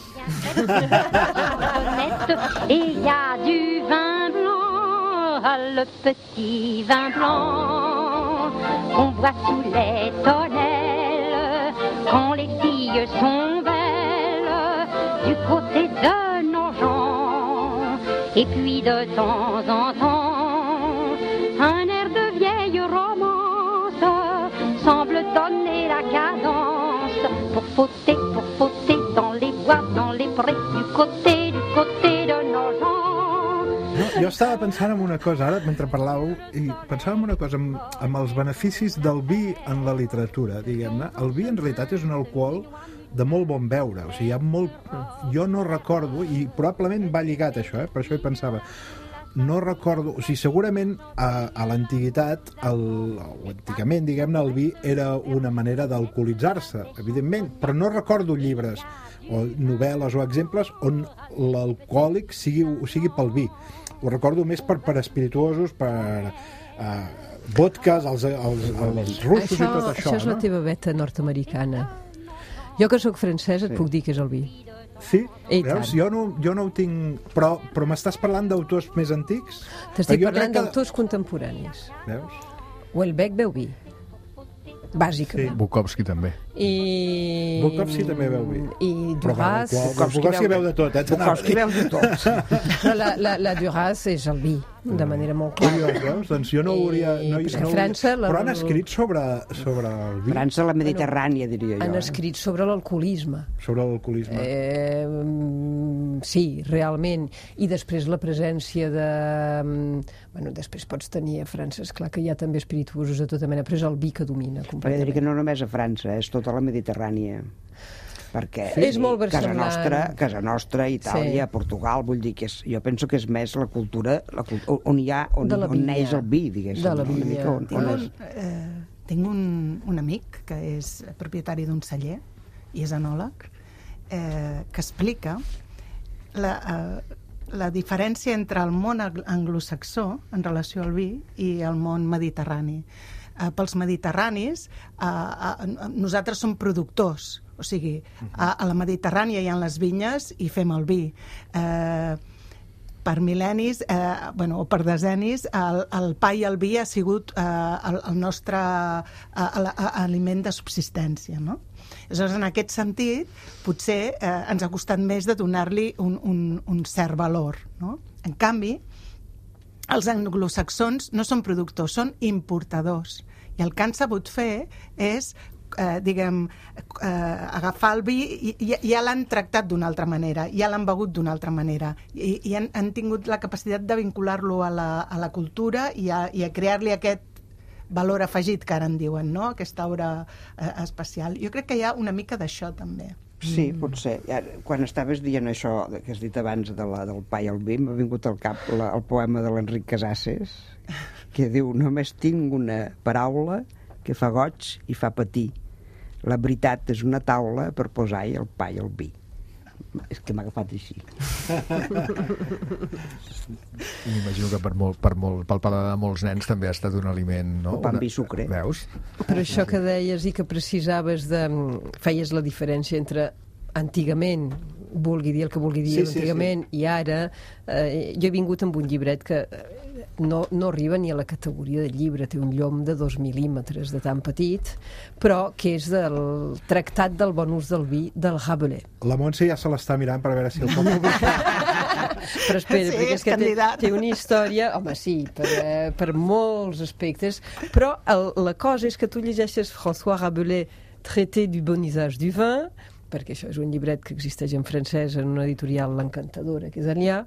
Et il y a du vin blanc, le petit vin blanc qu'on voit sous les tonnelles quand les filles sont belles du côté de Nogent. Et puis de temps en temps un air de vieille romance semble donner la cadence pour fauter dans les bois, dans les prés, du côté de Nogent. Jo estava pensant en una cosa, ara, mentre parlàveu, i pensava en una cosa, amb els beneficis del vi en la literatura, diguem-ne. El vi, en realitat, és un alcohol de molt bon beure. O sigui, hi ha molt... Jo no recordo, i probablement va lligat això, per això hi pensava. No recordo... O sigui, segurament a l'antiguitat, o antigament, diguem-ne, el vi era una manera d'alcoholitzar-se, evidentment, però no recordo llibres o novel·les o exemples on l'alcohòlic sigui pel vi. Ho recordo més per espirituosos, per vodkas, els russos i tot això. Això és la teva veta nord-americana. Jo, que sóc francesa, et puc dir que és el vi. Sí? Veus? Jo no ho tinc... Però m'estàs parlant d'autors més antics? T'estic parlant d'autors contemporanis. Veus? Houellebecq beu vi. Bàsicament. Sí. Bukowski també. Bukowski també beu vi. I Duras... Bukowski beu de tot, Bukowski beu de tot. Però la Duras és el vi, de manera molt clara. Veus? Doncs jo no hauria... Però han escrit sobre el vi. França, la Mediterrània, diria jo. Han escrit sobre l'alcoholisme. Sobre l'alcoholisme. Sí, realment. I després la presència de... després pots tenir a França, esclar que hi ha també espirituosos de tota mena, però és el vi que domina completament. Perquè que no només a França, és tota la Mediterrània. perquè és molt versemblant. casa nostra, Itàlia, Portugal, vull dir que jo penso que és més la cultura on neix el vi, diguéssim. De la vinya. Tinc un amic que és propietari d'un celler i és enòleg, que explica la diferència entre el món anglosaxó en relació al vi i el món mediterrani. Pels mediterranis, nosaltres som productors, o sigui, a la Mediterrània hi ha les vinyes i fem el vi. Per mil·lennis, o per decennis, el pa i el vi ha sigut el nostre aliment de subsistència, no? Aleshores, en aquest sentit, potser ens ha costat més de donar-li un cert valor, no? En canvi, els anglosaxons no són productors, són importadors. I el que han sabut fer és, agafar el vi i ja l'han tractat d'una altra manera, ja l'han begut d'una altra manera. I han tingut la capacitat de vincular-lo a la cultura i a crear-li aquest valor afegit, que ara en diuen, no? Aquesta aura especial. Jo crec que hi ha una mica d'això, també. Sí, potser. Quan estaves dient això que has dit abans del pa i el vi, m'ha vingut al cap el poema de l'Enric Casases, que diu: només tinc una paraula que fa goig i fa patir. La veritat és una taula per posar-hi el pa i el vi. És que m'ha agafat així. M'imagino que pel paladar de molts nens també ha estat un aliment, no? Pa amb vi i sucre. Veus? Per això que deies i que precisaves feies la diferència entre antigament, vulgui dir el que vulgui dir, antigament i ara, jo he vingut amb un llibret que no arriba ni a la categoria de llibre, té un llom de 2 mil·límetres de tan petit, però que és del tractat del bon ús del vi del Rabelais. La Montse ja se l'està mirant per veure si el pot publicar. Però espera, perquè és que té una història, home, sí, per molts aspectes, però la cosa és que tu llegeixes François Rabelais, Traité du bon usage du vin, perquè això és un llibret que existeix en francès en una editorial l'Encantadora, que és allà,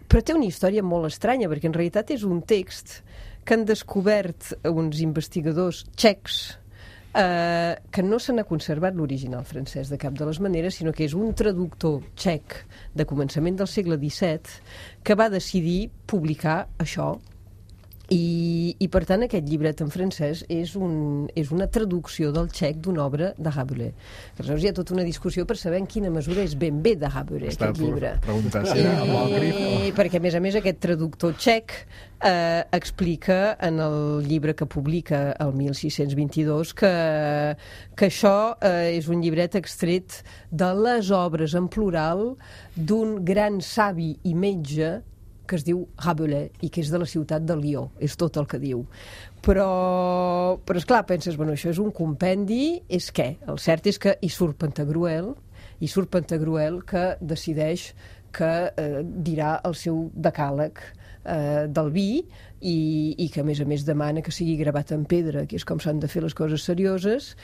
però té una història molt estranya, perquè en realitat és un text que han descobert uns investigadors txecs que no se n'ha conservat l'original francès de cap de les maneres, sinó que és un traductor txec de començament del segle XVII que va decidir publicar això. I per tant aquest llibret en francès és una traducció del txec d'una obra de Rabelais. Aleshores hi ha tota una discussió per saber en quina mesura és ben bé de Rabelais aquest llibre. Perquè a més aquest traductor txec explica en el llibre que publica el 1622 que això és un llibret extret de les obres en plural d'un gran savi i metge que es diu Rabelais i que és de la ciutat de Lió, és tot el que diu. Però esclar, penses, bueno, això és un compendi, és què? El cert és que hi surt Pantagruel que decideix que dirà el seu decàleg del vi i que a més demana que sigui gravat en pedra, que és com s'han de fer les coses serioses.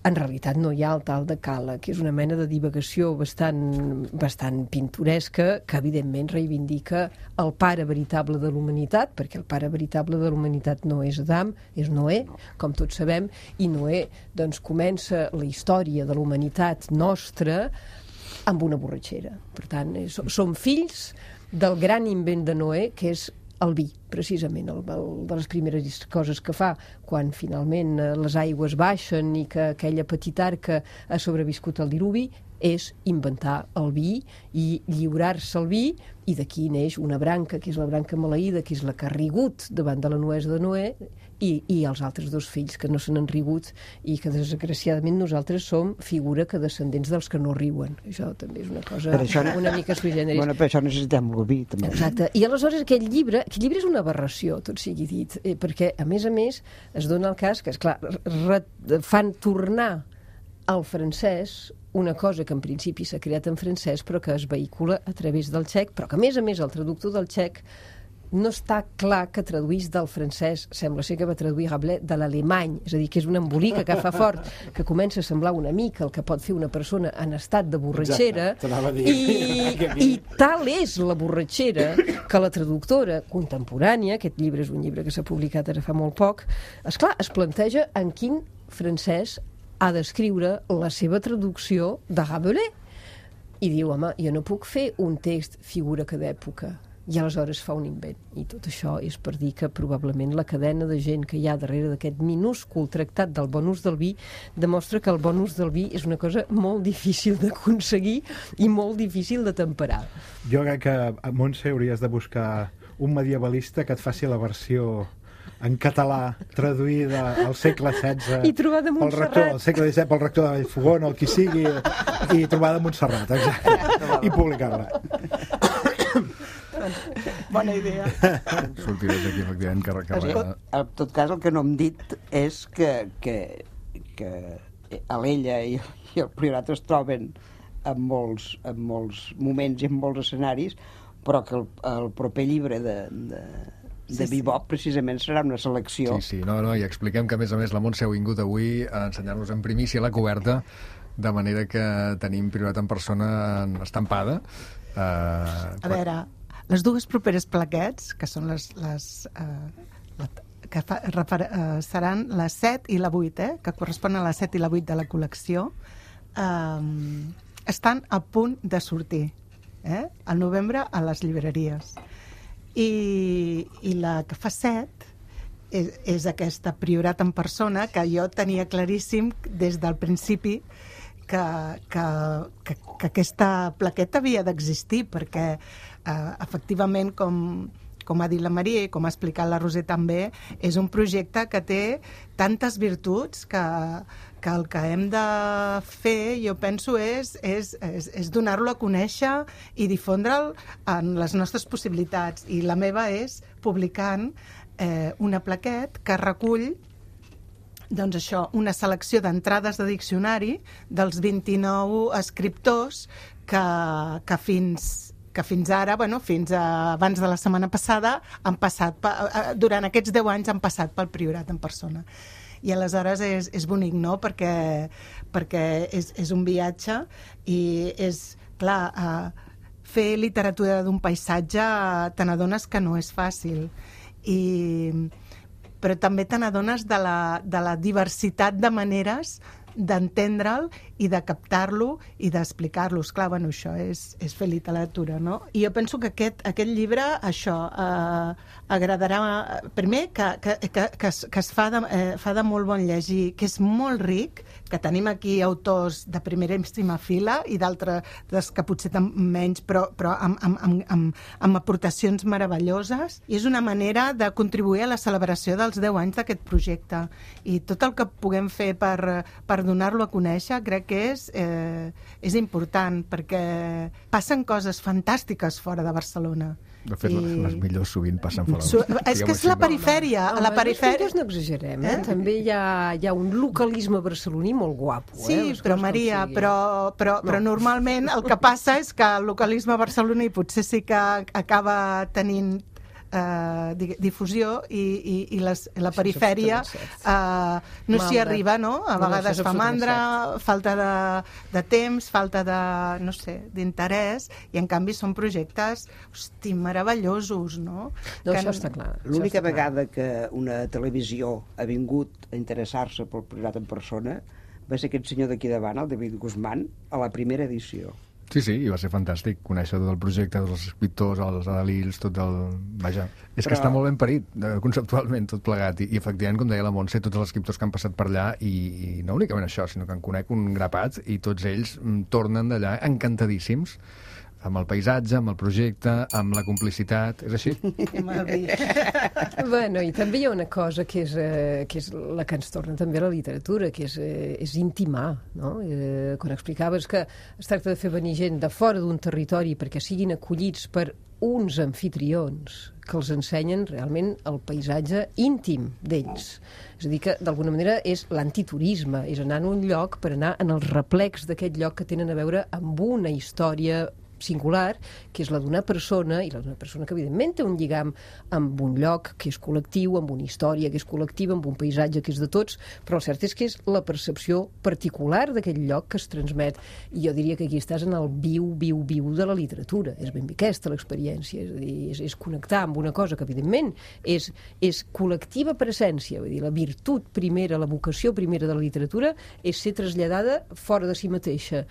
En realitat no hi ha el tal decàleg, que és una mena de divagació bastant pintoresca que evidentment reivindica el pare veritable de l'humanitat, perquè el pare veritable de l'humanitat no és Adam, és Noé, com tots sabem, i Noé doncs comença la història de l'humanitat nostra amb una borratxera. Per tant, som fills del gran invent de Noé, que és el vi, precisament, de les primeres coses que fa quan finalment les aigües baixen i que aquella petita arca ha sobreviscut al diluvi, és inventar el vi i lliurar-se al vi, i d'aquí neix una branca, que és la branca maleïda, que és la que ha rigut davant de la nuesa de Noé, i els altres dos fills que no se n'han rigut i que desgraciadament nosaltres som figura que descendents dels que no riuen. Això també és una cosa una mica sui generis. Bueno, per això necessitem el vi, també. Exacte. I aleshores aquest llibre és una aberració, tot sigui dit, perquè a més es dona el cas que, esclar, fan tornar al francès una cosa que en principi s'ha creat en francès però que es vehicula a través del txec, però que a més el traductor del txec no està clar que traduís del francès, sembla ser que va traduir Rabelais de l'alemany, és a dir, que és un embolic que fa fort, que comença a semblar una mica el que pot fer una persona en estat de borratxera, i tal és la borratxera que la traductora contemporània, aquest llibre és un llibre que s'ha publicat ara fa molt poc, esclar, es planteja en quin francès ha d'escriure la seva traducció de Rabelais. I diu, home, jo no puc fer un text figura que d'època. I aleshores fa un invent. I tot això és per dir que probablement la cadena de gent que hi ha darrere d'aquest minúscul tractat del bon ús del vi demostra que el bon ús del vi és una cosa molt difícil d'aconseguir i molt difícil de temperar. Jo crec que a Montse hauries de buscar un medievalista que et faci la versió en català, traduïda al segle XVI I trobada a Montserrat. al segle XVII pel rector de Vallfogona, el qui sigui, i trobada a Montserrat, exacte, i publicar-la. Bona idea. Sortiré d'aquí, efectivament, que En tot cas, el que no hem dit és que Alella i el Priorat es troben en molts moments i en molts escenaris, però que el proper llibre de Bebop precisament serà una selecció. Sí, no, i expliquem que a més la Montse ha vingut avui a ensenyar-nos en primícia la coberta, de manera que tenim Priorat en persona estampada. A veure, les dues properes plaquets, que són seran la 7 i la 8, que corresponen a la 7 i la 8 de la col·lecció, estan a punt de sortir al novembre a les llibreries. I la que fa 7 és aquesta Priorat en persona, que jo tenia claríssim des del principi que aquesta plaqueta havia d'existir, perquè efectivament, com ha dit la Maria i com ha explicat la Roser també, és un projecte que té tantes virtuts que el que hem de fer, jo penso, és donar-lo a conèixer i difondre'l en les nostres possibilitats. I la meva és publicant una plaquet que recull doncs això, una selecció d'entrades de diccionari dels 29 escriptors que fins ara, fins abans de la setmana passada, han passat, durant aquests 10 anys han passat pel Priorat en persona. I aleshores és bonic, no?, perquè és un viatge i és, clar, fer literatura d'un paisatge te n'adones que no és fàcil, però també te n'adones de la diversitat de maneres d'entendre'l i de captar-lo i d'explicar-lo. Esclar, això és fer literatura, no? I jo penso que aquest llibre, això, agradarà, primer, que es fa de molt bon llegir, que és molt ric, que tenim aquí autors de primeríssima fila i d'altres que potser menys, però amb aportacions meravelloses, i és una manera de contribuir a la celebració dels 10 anys d'aquest projecte. I tot el que puguem fer per donar-lo a conèixer crec que és important, perquè passen coses fantàstiques fora de Barcelona. De fet, les millors sovint passen fora. És que és la perifèria. A la perifèria no exagerem, també hi ha un localisme barceloní molt guapo. Sí, però Maria, però normalment el que passa és que el localisme barceloní potser sí que acaba tenint difusió i la perifèria no s'hi arriba, no? A vegades fa mandra, falta de temps, falta de, no sé, d'interès, i en canvi són projectes, meravellosos, no? No, això està clar. L'única vegada que una televisió ha vingut a interessar-se pel Priorat en persona va ser aquest senyor d'aquí davant, el David Guzmán, a la primera edició. Sí, i va ser fantàstic conèixer tot el projecte, tots els escriptors, els adalils, tot el... Vaja, és que està molt ben parit, conceptualment, tot plegat. I efectivament, com deia la Montse, tots els escriptors que han passat per allà, i no únicament això, sinó que en conec un grapat, i tots ells tornen d'allà encantadíssims, amb el paisatge, amb el projecte, amb la complicitat, és així? Bueno, i també hi ha una cosa que és la que ens torna també a la literatura, que és intimar, no? Quan explicaves que es tracta de fer venir gent de fora d'un territori perquè siguin acollits per uns anfitrions que els ensenyen realment el paisatge íntim d'ells. És a dir, que d'alguna manera és l'antiturisme, és anar a un lloc per anar en els replecs d'aquest lloc que tenen a veure amb una història singular, que és la d'una persona, i la d'una persona que evidentment té un lligam amb un lloc que és col·lectiu, amb una història que és col·lectiva, amb un paisatge que és de tots, però el cert és que és la percepció particular d'aquell lloc que es transmet. I jo diria que aquí estàs en el viu de la literatura. És ben bé aquesta l'experiència, és a dir, és connectar amb una cosa que evidentment és col·lectiva per essència, vull dir, la virtut primera, la vocació primera de la literatura és ser traslladada fora de si mateixa,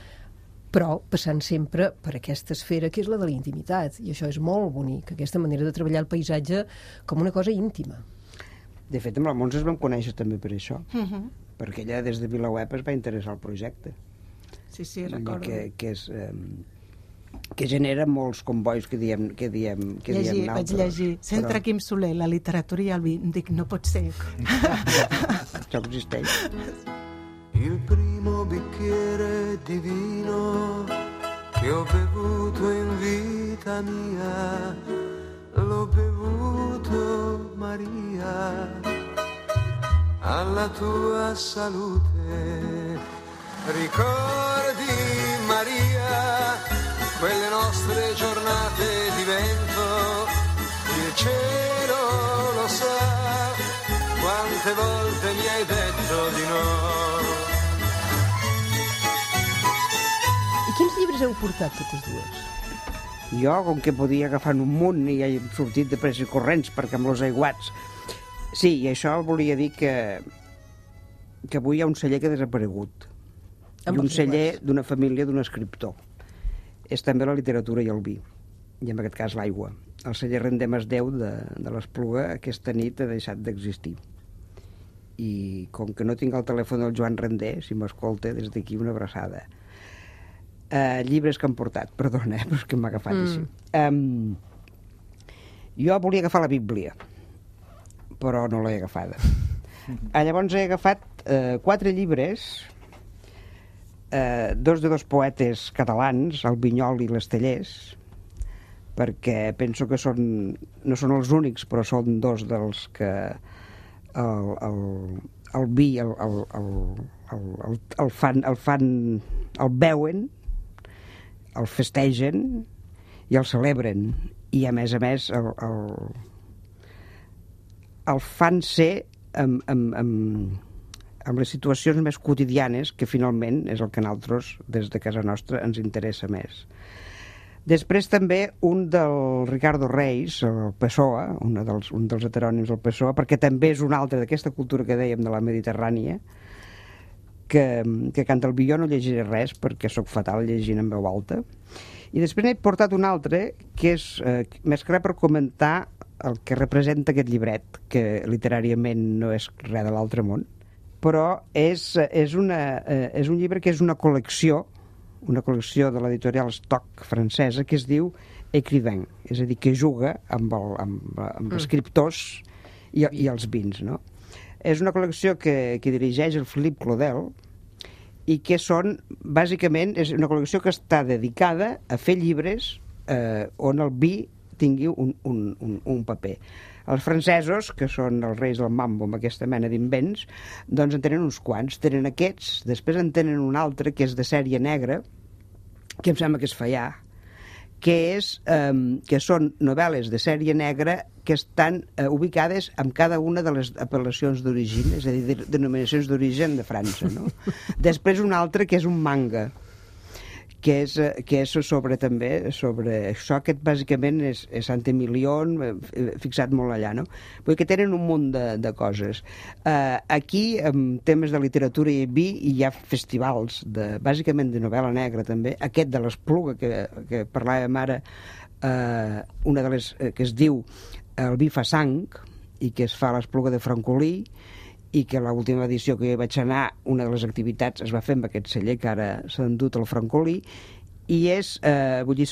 però passant sempre per aquesta esfera que és la de la intimitat, i això és molt bonic, aquesta manera de treballar el paisatge com una cosa íntima. De fet, amb la Montse es vam conèixer també per això, perquè ella des de VilaWeb es va interessar al projecte. Sí, recordo. Que genera molts combois que diem vaig llegir. Centre Quim Soler, la literatura i el vi. Em dic, no pot ser. Això existeix. Il primo bicchiere di vino che ho bevuto in vita mia, l'ho bevuto, Maria, alla tua salute. Ricordi, Maria, quelle nostre giornate di vento, il cielo lo sa, quante volte mi hai detto di no. I quins llibres heu portat totes dues? Jo, com que podia agafar un munt i he sortit de pressa i corrents perquè amb els aiguats. Sí, i això volia dir que avui hi ha un celler que ha desaparegut. I un celler d'una família d'un escriptor. És també la literatura i el vi, i en aquest cas l'aigua. El celler Rendem Déu de l'Espluga aquesta nit ha deixat d'existir. I com que no tinc el telèfon del Joan Rendé, si m'escolta, des d'aquí una abraçada. Llibres que han portat, perdona, però és que m'ha agafat així. Jo volia agafar la Bíblia, però no l'he agafada. Llavors he agafat 4 llibres, 2 de 2 poetes catalans, el Vinyol i l'Estellers, perquè penso que no són els únics, però són 2 dels que el vi el veuen, el festegen i el celebren, i a més el fan ser amb les situacions més quotidianes, que finalment és el que a nosaltres des de casa nostra ens interessa més. Després també un del Ricardo Reis, el Pessoa, un dels heterònims del Pessoa, perquè també és un altre d'aquesta cultura que dèiem de la Mediterrània, que canta el vi. Jo no llegiré res perquè sóc fatal llegint en veu alta. I després n'he portat un altre que és més que res per comentar el que representa aquest llibret, que literàriament no és res de l'altre món, però és un llibre que és una col·lecció de l'editorial Stock francesa, que es diu Écrivain, és a dir, que juga amb escriptors i els vins, no? És una col·lecció que dirigeix el Philippe Claudel i que bàsicament, és una col·lecció que està dedicada a fer llibres on el vi tingui un paper. Els francesos, que són els reis del mambo amb aquesta mena d'invents, doncs en tenen uns quants. Tenen aquests, després en tenen un altre que és de sèrie negra, que em sembla que és Fallà, que són novel·les de sèrie negra que estan ubicades en cada una de les apel·lacions d'origen, és a dir, denominacions d'origen de França, no? Després un altre que és un manga, que és sobre això, que bàsicament és Sant-Emilion, fixat molt allà, no? Vull dir que tenen un munt de coses. Aquí, en temes de literatura i vi, hi ha festivals, bàsicament de novel·la negra també, aquest de l'Espluga, que parlàvem ara, una de les que es diu El vi fa sang, i que es fa a l'Espluga de Francolí, i que l'última edició que hi vaig anar, una de les activitats es va fer amb aquest celler que ara s'ha endut al Francolí, i vull dir,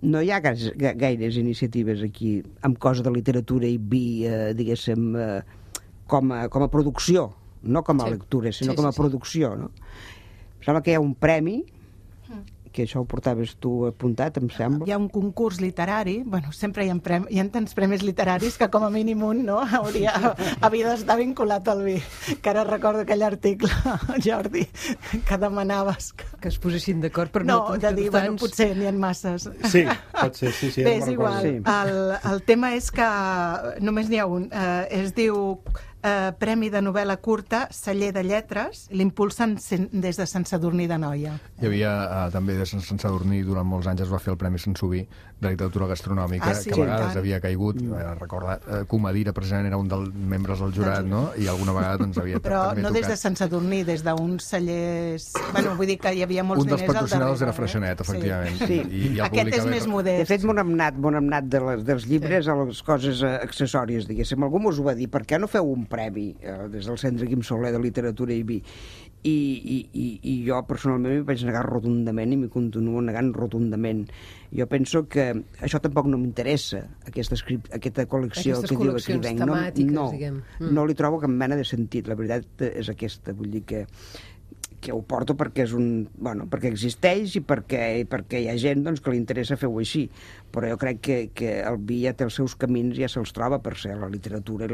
no hi ha gaires iniciatives aquí amb cosa de literatura i vi, diguéssim, com a producció, no com a lectura, sinó com a producció, no? Em sembla que hi ha un premi que això ho portaves tu apuntat, em sembla. Hi ha un concurs literari, bueno, sempre hi ha tants premis literaris que com a mínim un, no?, havia d'estar vinculat al vi. Que ara recordo aquell article, Jordi, que demanaves que es posessin d'acord per no de dir, bueno, potser n'hi ha masses. Sí, pot ser, sí. Bé, és igual. Sí. El tema és que només n'hi ha un. Es diu Premi de novel·la curta, Celler de Lletres, l'impulsen des de Sant Sadurní d'Anoia. Hi havia també de Sant Sadurní, durant molts anys es va fer el Premi Sant Subí de literatura gastronòmica, que a vegades havia caigut. Recorda, Comadira, precisament, era un dels membres del jurat, no? I alguna vegada doncs havia però també no tocat. Des de Sant Sadurní, des d'uns cellers... Bueno, vull dir que hi havia molts diners al darrere. Un dels patrocinadors era Freixenet, efectivament. Sí. I aquest és més modest. De fet, m'ho hem anat dels llibres a les coses accessòries, diguéssim. Algú mos ho va dir, per què no feu un premi des del Centre Quim Soler de Literatura i Vi? I jo personalment m'hi vaig negar rotundament i m'hi continuo negant rotundament. Jo penso que això tampoc no m'interessa, aquesta col·lecció aquestes que diu Escrivenc. Temàtiques, no li trobo cap mena de sentit. La veritat és aquesta, vull dir que ho porto perquè perquè existeix i perquè hi ha gent doncs, que li interessa fer-ho així, però jo crec que el vi ja té els seus camins, ja se'ls troba per ser la literatura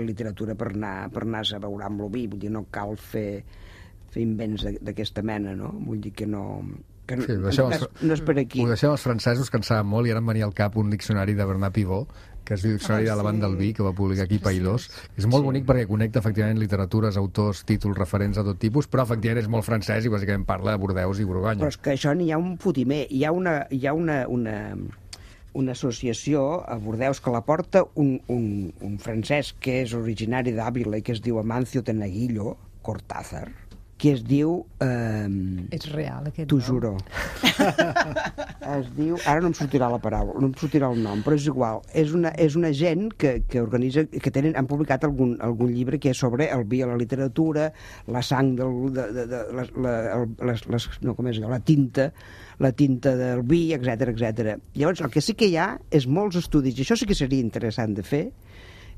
per anar-se a veure amb el vi, vull dir, no cal fer invents d'aquesta mena, no? Vull dir que no... Sí, no és per aquí. Ho deixem els francesos, que en saben molt, i ara em venia al cap un diccionari de Bernat Pivot, que es diu Diccionari de l'Avant del Vi, que va publicar aquí Païdós. És molt bonic perquè connecta efectivament literatures, autors, títols, referents a tot tipus, però efectivament és molt francès i bàsicament parla de Bordeus i Borgonya. Però és que això n'hi ha un fotimer. Hi ha una associació a Bordeus que la porta un francès que és originari d'Àvila i que es diu Amancio Tenaguillo Cortázar, que es diu... És real, aquest nom. T'ho juro. Es diu... Ara no em sortirà la paraula, no em sortirà el nom, però és igual. És una gent que organitza... han publicat algun llibre que és sobre el vi a la literatura, la sang la tinta del vi, etc. Llavors, el que sí que hi ha és molts estudis, i això sí que seria interessant de fer,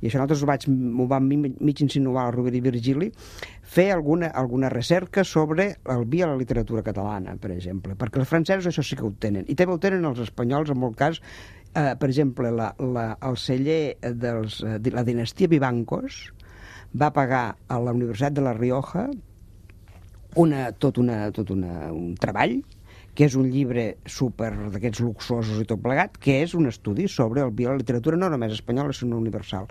i això nosaltres m'ho vam mig insinuar a Rovira i Virgili, fer alguna recerca sobre el vi a la literatura catalana, per exemple, perquè els francesos això sí que ho tenen, i també ho tenen els espanyols en molt cas. Per exemple, el celler de la dinastia Vivancos va pagar a la Universitat de La Rioja tot un treball, que és un llibre super d'aquests luxosos i tot plegat, que és un estudi sobre el vi a la literatura, no només espanyola, sinó universal.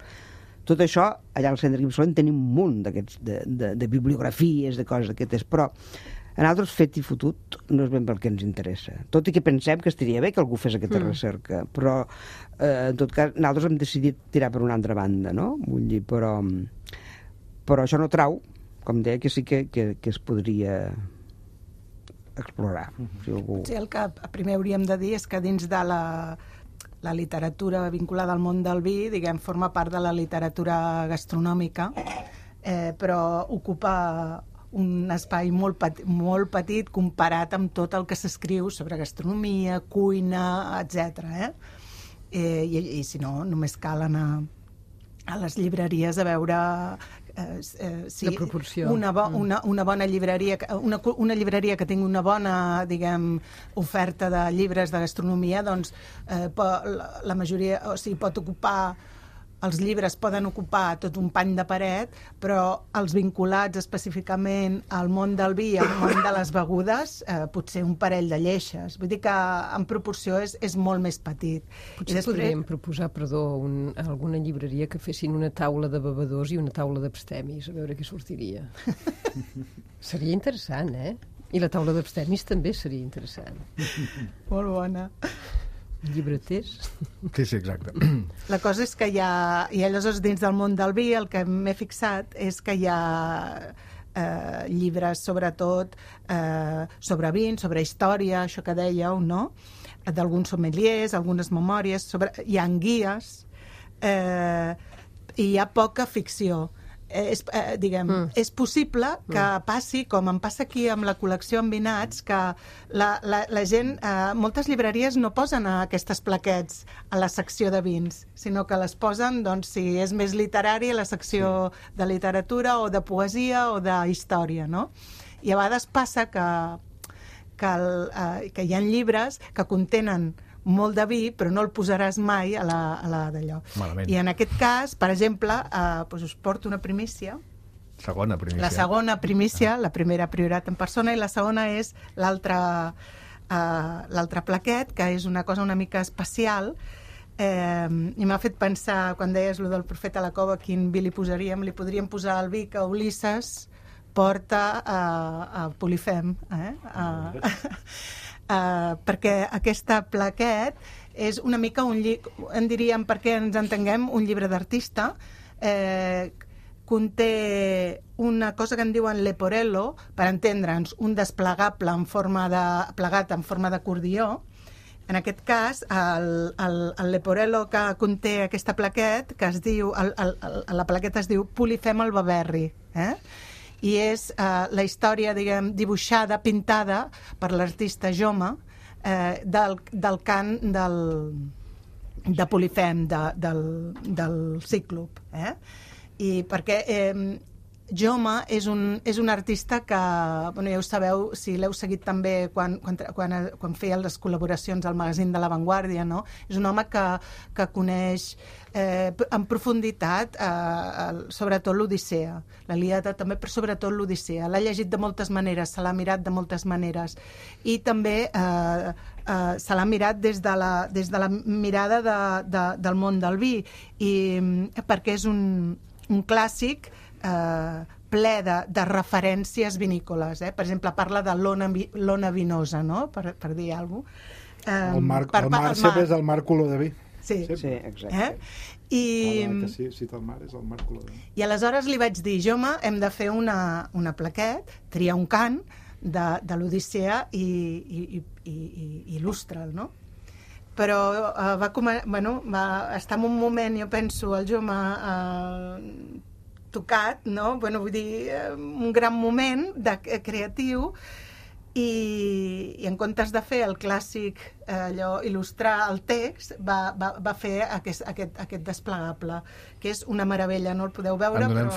Tot això, allà al Centre Quim Soler tenim un munt de bibliografies, de coses d'aquestes, però a nosaltres fet i fotut no és ben pel que ens interessa. Tot i que pensem que estaria bé que algú fes aquesta recerca, però en tot cas nosaltres hem decidit tirar per una altra banda, no? Vull dir, però això no trau, com deia, que sí que es podria explorar. Si algú... Sí, el que primer hauríem de dir és que dins de la literatura vinculada al món del vi, diguem, forma part de la literatura gastronòmica, però ocupa un espai molt petit comparat amb tot el que s'escriu sobre gastronomia, cuina, etc. I si no, només cal anar a les llibreries a veure la proporció. Una bona llibreria, una llibreria que tingui una bona, diguem, oferta de llibres de gastronomia, doncs la majoria, o sigui, pot ocupar, els llibres poden ocupar tot un pany de paret, però els vinculats específicament al món del vi, al món de les begudes, potser un parell de lleixes. Vull dir que en proporció és molt més petit. Potser podríem proposar, alguna llibreria que fessin una taula de bevedors i una taula d'abstemis, a veure què sortiria. Seria interessant, I la taula d'abstemis també seria interessant. Molt bona. Llibreters. Sí, exacte. La cosa és que i aleshores dins del món del vi el que m'he fixat és que hi ha llibres sobretot sobre vins, sobre història, això que dèieu, no? D'alguns sommeliers, algunes memòries, hi ha guies i hi ha poca ficció. És possible que passi, com em passa aquí amb la col·lecció en vinats, que la gent, moltes llibreries no posen aquestes plaquets a la secció de vins, sinó que les posen, doncs, si és més literari, a la secció de literatura o de poesia o de història, no? I a vegades passa que que hi ha llibres que contenen molt de vi, però no el posaràs mai a la d'allò. Malament. I en aquest cas, per exemple, doncs us porto una primícia. Segona primícia. La segona primícia, la primera priorat en persona, i la segona és l'altre plaquet, que és una cosa una mica especial, i m'ha fet pensar, quan deies lo del profeta a la cova, quin vi li posaríem? Li podríem posar el vi que Ulisses porta a Polifem, perquè aquesta plaquet és una mica en diríem, perquè ens entenguem, un llibre d'artista. Conté una cosa que en diuen leporello, per entendre'ns, un desplegable plegat en forma d'acordió. En aquest cas, el leporello que conté aquesta plaquet, que es diu, la plaqueta es diu Polifem el Baberri, i és la història, diguem, dibuixada, pintada per l'artista Joma, del cant de Polifem, del Cíclope. I perquè Joma és un artista que, ja ho sabeu, si l'heu seguit també quan feia les col·laboracions al magazín de La Vanguardia, no? És un home que coneix en profunditat sobretot l'Odissea, l'Ilíada també, però sobretot l'Odissea. L'ha llegit de moltes maneres, se l'ha mirat de moltes maneres, i també se l'ha mirat des de la mirada del món del vi, i perquè és un clàssic ple de referències vinícoles. Per exemple, parla de l'ona vinosa, no? Per dir alguna cosa. El mar sempre és el mar color de vi. Sí, exacte. Que cita el mar és el mar color de vi. I aleshores li vaig dir, Joma, hem de fer una plaquet, triar un cant de l'Odissea i il·lustra'l, no? Però va estar en un moment, jo penso, el Joma tocat, no? Vull dir, un gran moment creatiu, i en comptes de fer el clàssic, allò, il·lustrar el text, va fer aquest desplegable, que és una meravella, no el podeu veure, En donem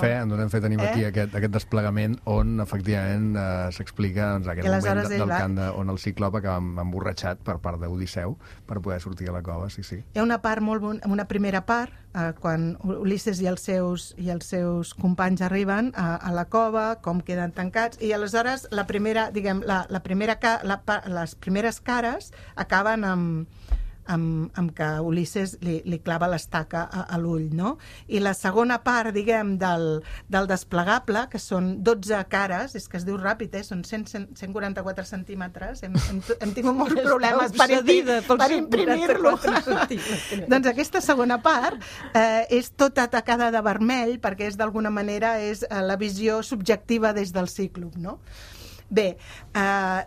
fe, tenim aquí aquest desplegament on efectivament s'explica aquest moment del cant on el Cíclope acaba emborratxat per part d'Odisseu per poder sortir a la cova, sí. Hi ha una part una primera part, quan Ulisses i els seus companys arriben a la cova, com queden tancats, i aleshores les primeres cares acaben amb que Ulisses li clava l'estaca a l'ull, no? I la segona part, diguem, del desplegable, que són 12 cares, és que es diu ràpid, són 144 centímetres, hem tingut molts problemes per imprimir-lo. Doncs aquesta segona part és tota tacada de vermell, perquè és d'alguna manera la visió subjectiva des del Cíclope, no? Bé,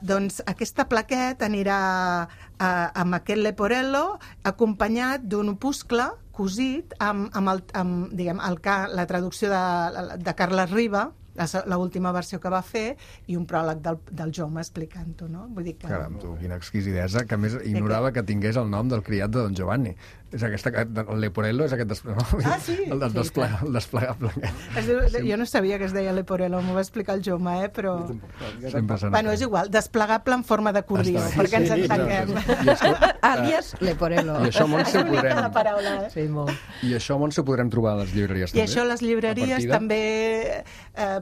doncs aquesta plaquet anirà amb aquest leporello acompanyat d'un opuscle cosit amb la traducció de Carles Riba, l'última versió que va fer, i un pròleg del Joma explicant-ho, no? Vull dir que... Caram, tu, quina exquisidesa, que a més ignorava que tingués el nom del criat de Don Giovanni. És el leporello és aquest el desplegable. Jo no sabia que es deia leporello, m'ho va explicar el Joma, però... Bueno, és igual, desplegable en forma d'acordió, perquè ens entenguem. Alias leporello. I això, Montse, ho podrem trobar a les llibreries també? I això a les llibreries també...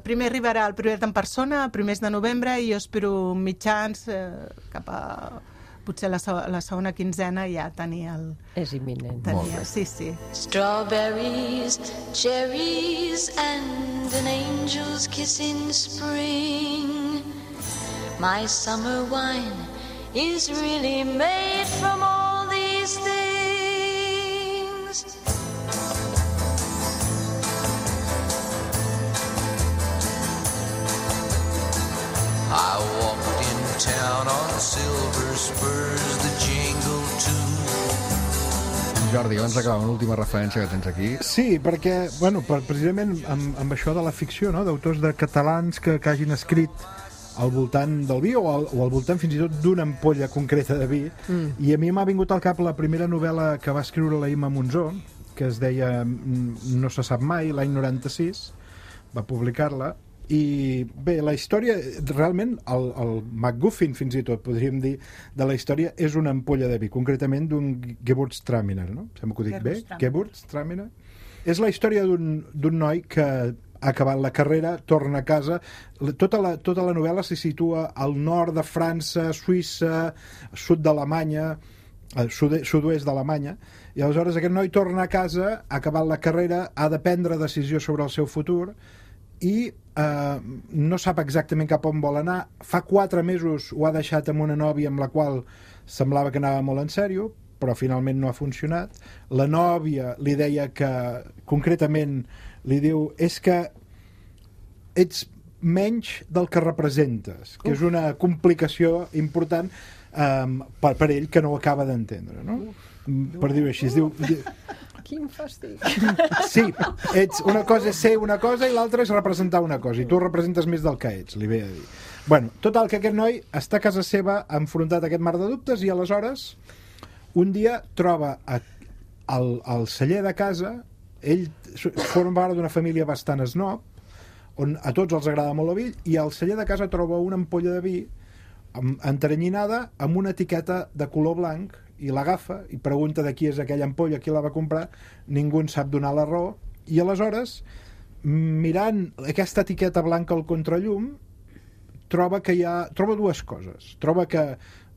Primer arribarà el Priorat en persona, a primers de novembre, i jo espero mitjans cap a... potser la segona quinzena ja tenir el... És imminent. Sí. Strawberries, cherries and an angel's kiss in spring. My summer wine is really made from all these things. I walked in town on silver spurs, the jingle too. Jordi, abans d'acabar, una última referència que tens aquí. Sí, perquè, precisament amb això de la ficció, no?, d'autors catalans que hagin escrit al voltant del vi o al voltant fins i tot d'una ampolla concreta de vi, i a mi m'ha vingut al cap la primera novel·la que va escriure la Imma Monzó, que es deia No se sap mai, l'any 96, va publicar-la, I bé, la història, realment, el MacGuffin, fins i tot, podríem dir, de la història, és una ampolla de vi, concretament d'un Gewürztraminer, no? Sembla que ho dic bé? Gewürztraminer. És la història d'un noi que ha acabat la carrera, torna a casa. Tota la novel·la se situa al nord de França, Suïssa, sud d'Alemanya, sud-oest d'Alemanya, i aleshores aquest noi torna a casa, ha acabat la carrera, ha de prendre decisió sobre el seu futur, i no sap exactament cap on vol anar. Fa 4 mesos ho ha deixat amb una nòvia amb la qual semblava que anava molt en sèrio, però finalment no ha funcionat. La nòvia li deia que, concretament, li diu, és que ets menys del que representes, que és una complicació important per ell, que no ho acaba d'entendre, no? Per dir-ho així, es diu... Quin fàstic. Sí, una cosa és ser una cosa i l'altra és representar una cosa, i tu representes més del que ets, li ve a dir. Bueno, total, que aquest noi està a casa seva enfrontat a aquest mar de dubtes, i aleshores un dia troba al celler de casa, ell forma part d'una família bastant snob, on a tots els agrada molt el vi, i al celler de casa troba una ampolla de vi enteranyinada amb una etiqueta de color blanc, i l'agafa i pregunta de qui és aquella ampolla, qui la va comprar. Ningú en sap donar la raó, i aleshores, mirant aquesta etiqueta blanca al contrallum, troba dues coses. Troba que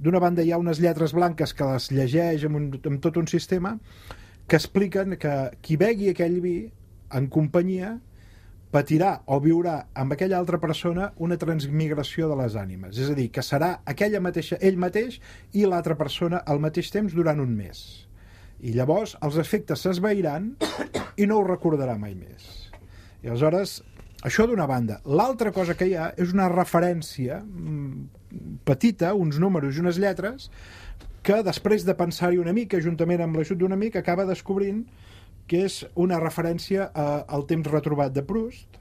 d'una banda hi ha unes lletres blanques que les llegeix amb tot un sistema que expliquen que qui begui aquell vi en companyia patirà o viurà amb aquella altra persona una transmigració de les ànimes, és a dir, que serà aquella mateixa, ell mateix i l'altra persona al mateix temps durant un mes, i llavors els efectes s'esvairan i no ho recordarà mai més. I aleshores, això d'una banda. L'altra cosa que hi ha és una referència petita, uns números i unes lletres, que després de pensar-hi una mica, juntament amb l'ajut d'un amic, acaba descobrint que és una referència al temps retrobat de Proust,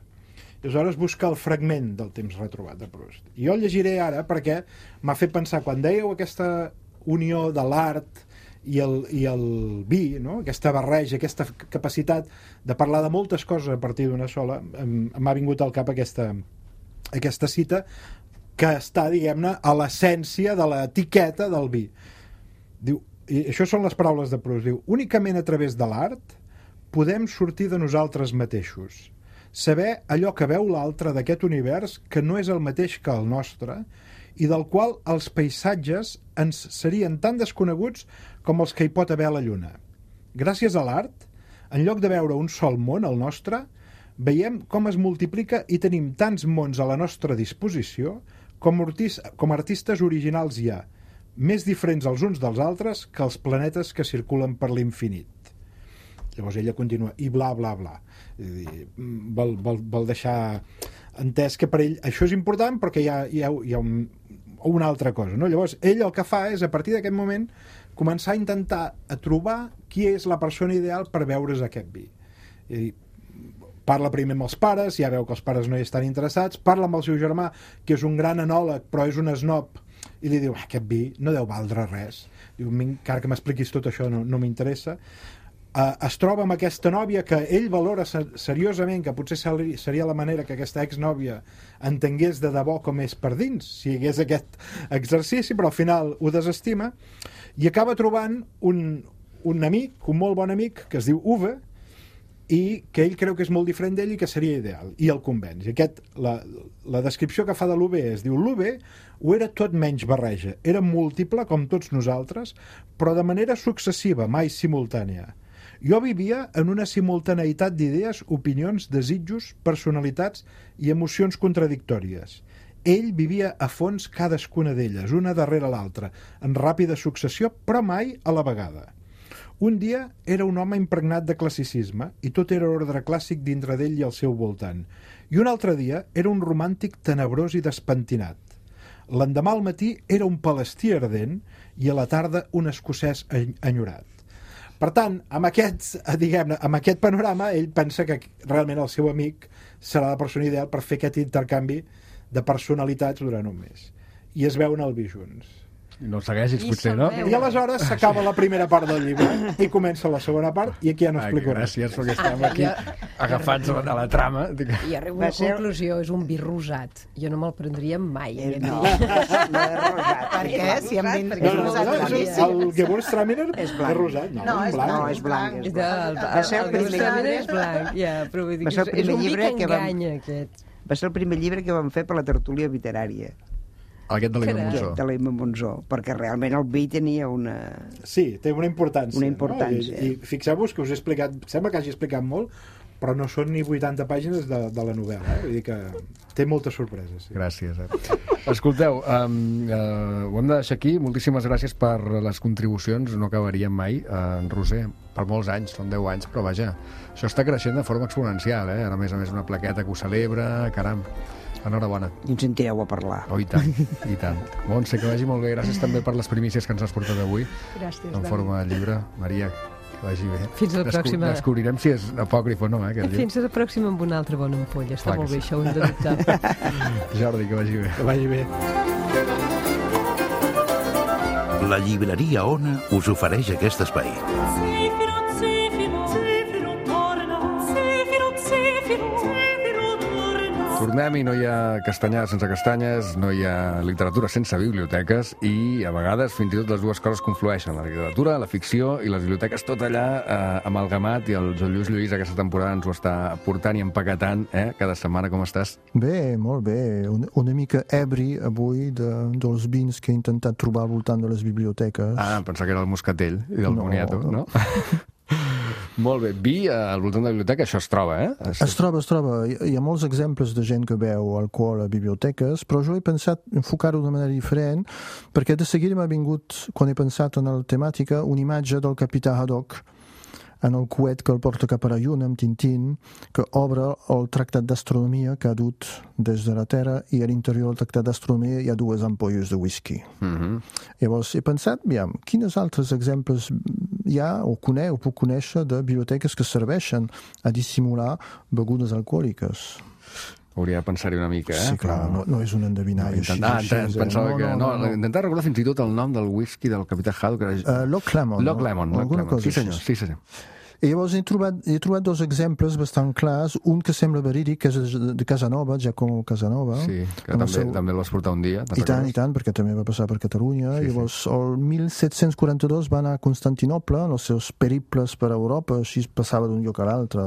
i aleshores busca el fragment del temps retrobat de Proust. I jo el llegiré ara perquè m'ha fet pensar, quan dèieu aquesta unió de l'art i el vi, no? Aquesta barreja, aquesta capacitat de parlar de moltes coses a partir d'una sola, m'ha vingut al cap aquesta cita que està, diguem-ne, a l'essència de l'etiqueta del vi. Diu, i això són les paraules de Proust, diu, únicament a través de l'art podem sortir de nosaltres mateixos, saber allò que veu l'altre d'aquest univers que no és el mateix que el nostre i del qual els paisatges ens serien tan desconeguts com els que hi pot haver a la Lluna. Gràcies a l'art, en lloc de veure un sol món, el nostre, veiem com es multiplica i tenim tants mons a la nostra disposició com artistes originals hi ha, més diferents els uns dels altres que els planetes que circulen per l'infinit. Llavors ella continua, i bla, bla, bla. Vol deixar entès que per ell això és important, però que hi ha una altra cosa, no? Llavors ell el que fa és, a partir d'aquest moment, començar a intentar trobar qui és la persona ideal per beure's aquest vi. I parla primer amb els pares, ja veu que els pares no hi estan interessats, parla amb el seu germà, que és un gran enòleg, però és un snob, i li diu, aquest vi no deu valdre res. Diu, encara que m'expliquis tot això no m'interessa. Es troba amb aquesta nòvia que ell valora seriosament, que potser seria la manera que aquesta exnòvia entengués de debò com és per dins, si hi hagués aquest exercici, però al final ho desestima, i acaba trobant un amic, un molt bon amic, que es diu Uwe, i que ell creu que és molt diferent d'ell i que seria ideal, i el convenç. I la descripció que fa de l'Uwe es diu, l'Uwe ho era tot menys barreja, era múltiple com tots nosaltres, però de manera successiva, mai simultània. Jo vivia en una simultaneïtat d'idees, opinions, desitjos, personalitats i emocions contradictòries. Ell vivia a fons cadascuna d'elles, una darrere l'altra, en ràpida successió, però mai a la vegada. Un dia era un home impregnat de classicisme i tot era ordre clàssic dintre d'ell i al seu voltant. I un altre dia era un romàntic tenebrós i despentinat. L'endemà al matí era un palestí ardent i a la tarda un escocès enyorat. Per tant, amb aquest panorama, ell pensa que realment el seu amic serà la persona ideal per fer aquest intercanvi de personalitats durant un mes. I es veuen al vi junts. No segueixis, potser, no? I aleshores s'acaba la primera part del llibre i comença la segona part i aquí ja no explico res. Gràcies, perquè estem aquí agafats a la trama. I arribo a la conclusió, és un vi rosat. Jo no me'l prendria mai. No és rosat. Per què? Si hem dit No, el Gewürztraminer és rosat. No, és blanc. Va ser el primer és blanc, però vull dir que és un vi que enganya, aquest. Va ser el primer llibre que vam fer per la tertúlia literària. Aquest de l'Emma Monsó. De l'Emma Monsó, perquè realment el vi tenia una... Sí, té una importància. Una importància. No? I fixeu-vos que us he explicat, sembla que hagi explicat molt, però no són ni 80 pàgines de la novel·la. Vull dir que té moltes sorpreses. Sí. Gràcies. Escolteu, ho hem de deixar aquí. Moltíssimes gràcies per les contribucions. No acabaríem mai, en Roser, per molts anys, són 10 anys, però vaja, això està creixent de forma exponencial, Ara, a més, una plaqueta que ho celebra, caram. Enhorabona. I ens sentireu a parlar. Oh, i tant, i tant. Montse, que vagi molt bé. Gràcies també per les primícies que ens has portat avui. Gràcies, en forma de llibre. Maria, que vagi bé. Fins a la pròxima. Descobrirem si és apòcrif o no, Fins a la pròxima amb una altra bona ampolla. Està molt bé, això ho hem de dubtar. Jordi, que vagi bé. Que vagi bé. La llibreria Ona us ofereix aquest espai. Tornem i no hi ha castanyades sense castanyes, no hi ha literatura sense biblioteques i, a vegades, fins i tot les dues coses conflueixen. La literatura, la ficció i les biblioteques, tot allà amalgamat, i el Joan Lluís Lluís aquesta temporada ens ho està portant i empaquetant, cada setmana. Com estàs? Bé, molt bé. Una mica ebri avui dels vins que he intentat trobar al voltant de les biblioteques. Ah, pensava que era el moscatell i del boniato, no? Molt bé. Vi al voltant de la biblioteca, això es troba, Es troba. Hi ha molts exemples de gent que veu alcohol a biblioteques, però jo he pensat enfocar-ho d'una manera diferent, perquè de seguida m'ha vingut, quan he pensat en la temàtica, una imatge del capità Haddock en el coet que el porta cap a la lluna amb Tintín, que obre el tractat d'astronomia que ha dut des de la Terra, i a l'interior del tractat d'astronomia hi ha 2 ampolles de whisky. Llavors he pensat, quins altres exemples hi ha o puc conèixer de biblioteques que serveixen a dissimular begudes alcohòliques. Hauria de pensar-hi una mica, Sí, clar, no és un endevinall així. Intentar recordar fins i tot el nom del whisky del capità Haddock. Loch Lomond. Sí, senyor. I llavors he trobat 2 exemples bastant clars, un que sembla verídic, que és de Casanova, Giacomo Casanova. Sí, que també el vas portar un dia. I tant, perquè també va passar per Catalunya. Sí, llavors, el 1742 va anar a Constantinople en els seus periples per Europa, així passava d'un lloc a l'altre,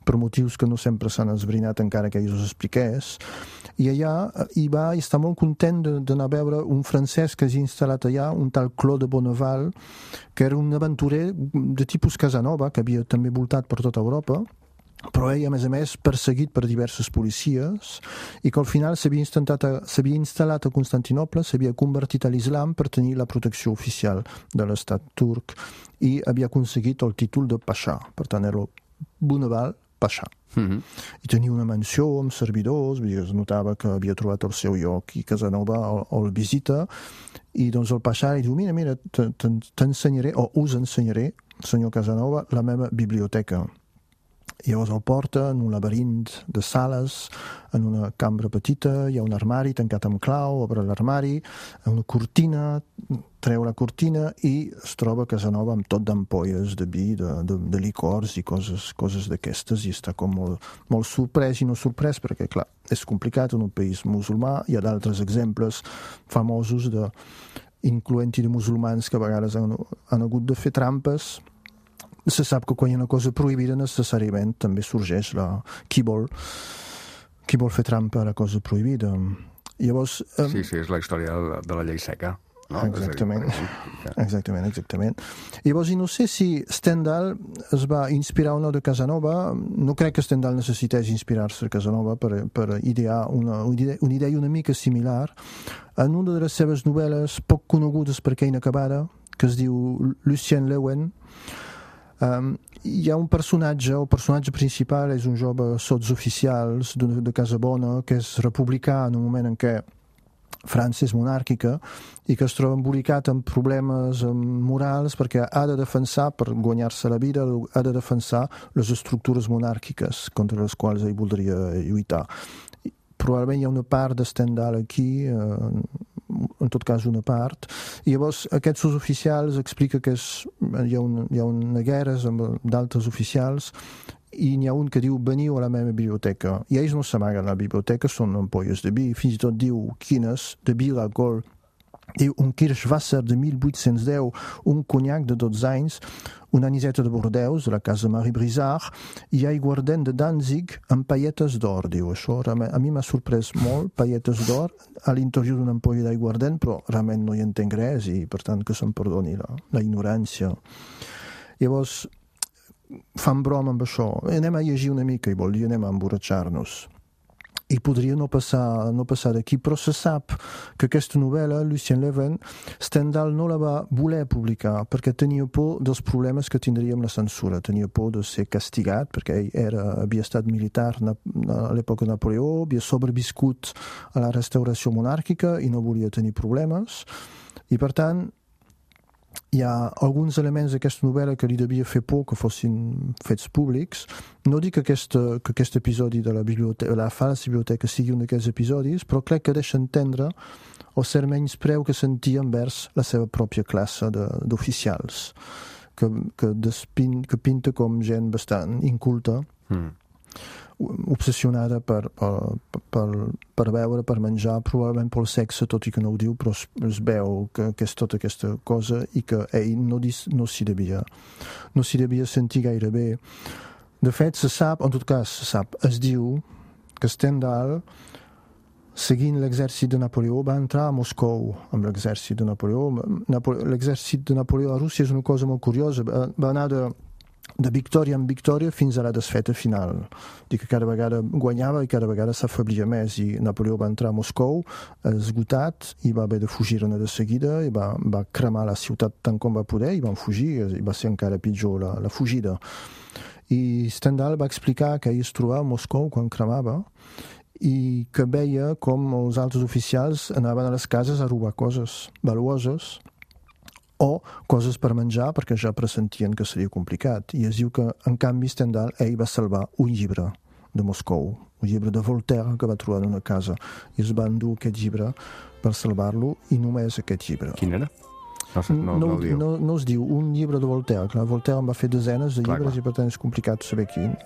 per motius que no sempre s'han esbrinat encara que ell us expliqués. I allà hi va i està molt content d'anar a veure un francès que s'ha instal·lat allà, un tal Claude Bonneval, que era un aventurer de tipus Casanova, que havia també voltat per tota Europa, però ell, a més, perseguit per diverses policies, i que al final s'havia instal·lat a Constantinople, s'havia convertit a l'islam per tenir la protecció oficial de l'estat turc, i havia aconseguit el títol de Pasha. Per tant, era Bonneval Pasha. I tenia una mansió amb servidors, es notava que havia trobat el seu lloc, i Casanova el visita, i doncs el Pasha li diu, mira, t'ensenyaré, o us ensenyaré, senyor Casanova, la meva biblioteca. I llavors el porta en un laberint de sales, en una cambra petita, hi ha un armari tancat amb clau, obre l'armari, una cortina, treu la cortina i es troba Casanova amb tot d'ampolles de vi, de licors i coses d'aquestes, i està com molt sorprès i no sorprès, perquè clar, és complicat en un país musulmà. Hi ha d'altres exemples famosos incloent-hi de musulmans que a vegades han hagut de fer trampes. Se sap que quan hi ha una cosa prohibida necessàriament també sorgeix qui vol fer trampa a la cosa prohibida. Llavors, sí, és la història de la llei seca. No? Exactament. Llavors, i no sé si Stendhal es va inspirar o no de Casanova. No crec que Stendhal necessités inspirar-se de Casanova per idear una idea una mica similar en una de les seves novel·les poc conegudes perquè inacabada, que es diu Lucien Leuwen. Hi ha un personatge, el personatge principal és un jove sotsoficial de Casabona, que és republicà en un moment en què França és monàrquica i que es troba embolicat amb problemes morals perquè ha de defensar, per guanyar-se la vida, ha de defensar les estructures monàrquiques contra les quals ell voldria lluitar. Probablement hi ha una part de Stendhal aquí, en tot cas una part, i llavors aquests oficials explica que hi ha una guerra amb d'altres oficials i n'hi ha un que diu veniu a la meva biblioteca, i ells no s'amaguen a la biblioteca, són ampolles de vi, fins i tot diu quines, de vi d'alcohol, diu un Kirschwasser de 1810, un conyac de 12 anys, una aniseta de Bordeus, de la casa Marie Brizard, i aiguardent de Danzig amb pailletes d'or, diu. Això a mi m'ha sorprès molt, pailletes d'or a l'interior d'una ampolla d'aiguardent, però realment no hi entenc res i per tant que se'm perdoni la ignorància. Llavors fan broma amb això, anem a llegir una mica i vol dir anem a emborratxar-nos. I podria no passar d'aquí, però se sap que aquesta novel·la, Lucien Levin, Stendhal no la va voler publicar perquè tenia por dels problemes que tindria amb la censura, tenia por de ser castigat perquè ell havia estat militar a l'època de Napoleó, havia sobreviscut a la restauració monàrquica i no volia tenir problemes, i per tant hi ha alguns elements d'aquesta novel·la que li devia fer por que fossin fets públics. No dic que aquest episodi de la falsa biblioteca sigui un d'aquests episodis, però crec que deixa entendre el cert menyspreu que sentia envers la seva pròpia classe d'oficials, que pinta com gent bastant inculta, obsessionada per beure, per menjar, probablement pel sexe, tot i que no ho diu, però es veu que és tota aquesta cosa i que ell no s'hi devia sentir gaire bé. De fet, es diu que Stendhal, seguint l'exèrcit de Napoleó, va entrar a Moscou amb l'exèrcit de Napoleó. L'exèrcit de Napoleó a Rússia és una cosa molt curiosa, va anar de victòria en victòria fins a la desfeta final. Dic que cada vegada guanyava i cada vegada s'afeblia més, i Napoleó va entrar a Moscou esgotat i va haver de fugir-ne de seguida i va cremar la ciutat tant com va poder i van fugir, i va ser encara pitjor la fugida. I Stendhal va explicar que ell es trobava a Moscou quan cremava i que veia com els altres oficials anaven a les cases a robar coses valuoses o coses per menjar perquè ja pressentien que seria complicat. I es diu que, en canvi, Stendhal, ell va salvar un llibre de Moscou, un llibre de Voltaire que va trobar en una casa, i es va endur aquest llibre per salvar-lo, i només aquest llibre. Quin era? No es diu un llibre de Voltaire. Clar, Voltaire en va fer desenes de llibres i per tant és complicat saber quin.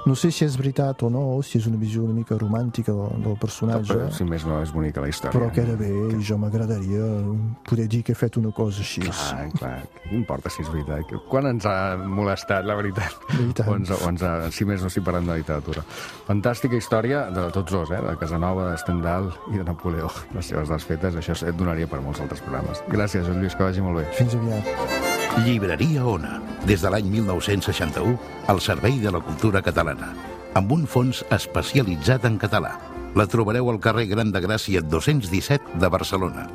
No sé si és veritat o no, si és una visió una mica romàntica del personatge. Però, si més no, és bonica la història. Però queda bé, i jo m'agradaria poder dir que he fet una cosa així. Clar, què importa si és veritat? Quan ens ha molestat, la veritat? Si més no, si parlem de literatura. Fantàstica història de tots dos, de Casanova, de Stendhal i de Napoleó. Les seves desfetes, això et donaria per molts altres programes. Gràcies, Lluís, que vagi molt bé. Fins aviat. Llibreria Ona, des de l'any 1961, al servei de la cultura catalana, amb un fons especialitzat en català. La trobareu al carrer Gran de Gràcia 217 de Barcelona.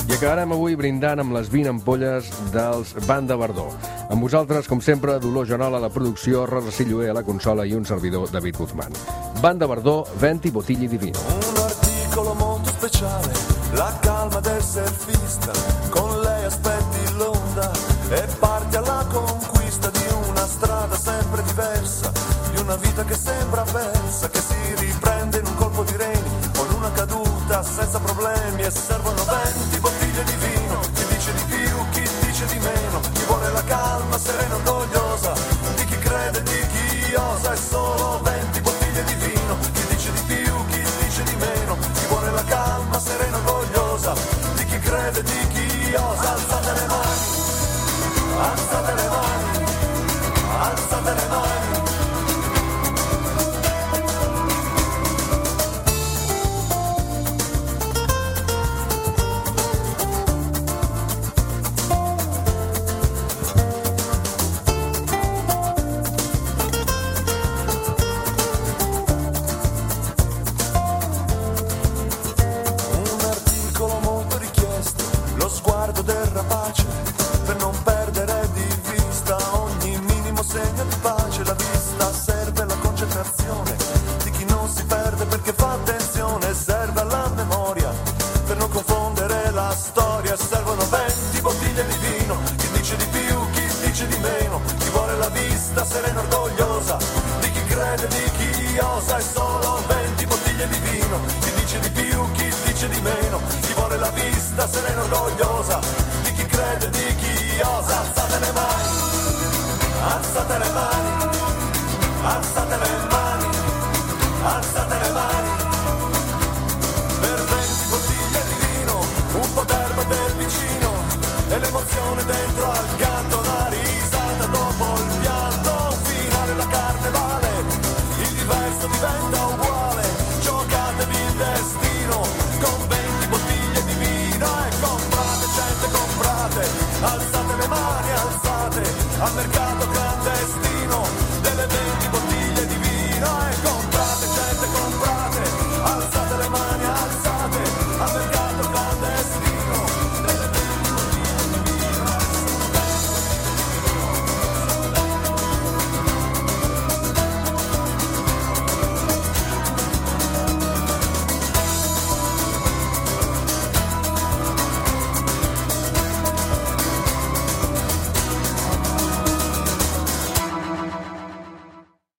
I acabarem avui brindant amb les 20 ampolles dels Banda Verdó. Amb vosaltres, com sempre, Dolors Joanola a la producció, Rosa Silloé a la consola i un servidor, David Guzmán. Banda Verdó, venti bottiglie di vino. Un articolo molto speciale, la calma del surfista, con lei aspetti l'onda e parti alla conquista di una strada sempre diversa, di una vita che sembra persa, che si riprende in un colpo di reni, con una caduta senza problemi, e servono 20 bottiglie di vino, chi dice di più, chi dice di meno, chi vuole la calma serena e orgogliosa, di chi crede, di chi osa, e solo 20 bottiglie di vino, chi dice di più, chi dice di meno, chi vuole la calma serena e orgogliosa, di chi crede, di chi osa. Alzate le mani, alzate le mani, alzate le mani. Serena orgogliosa di chi crede chi osa, è solo 20 bottiglie di vino, chi dice di più, chi dice di meno, chi vuole la vista serena orgogliosa di chi crede, di chi osa. Alzate le mani, alzate le mani, alzate le mani, alzate le mani, per 20 bottiglie di vino, un po' d'erba del vicino e l'emozione dentro al canto, la risata dopo il pianto, un finale la carnevale, il diverso diventa uguale, giocatevi il destino con 20 bottiglie di vino e comprate, gente comprate, alzate le mani, alzate al mercato.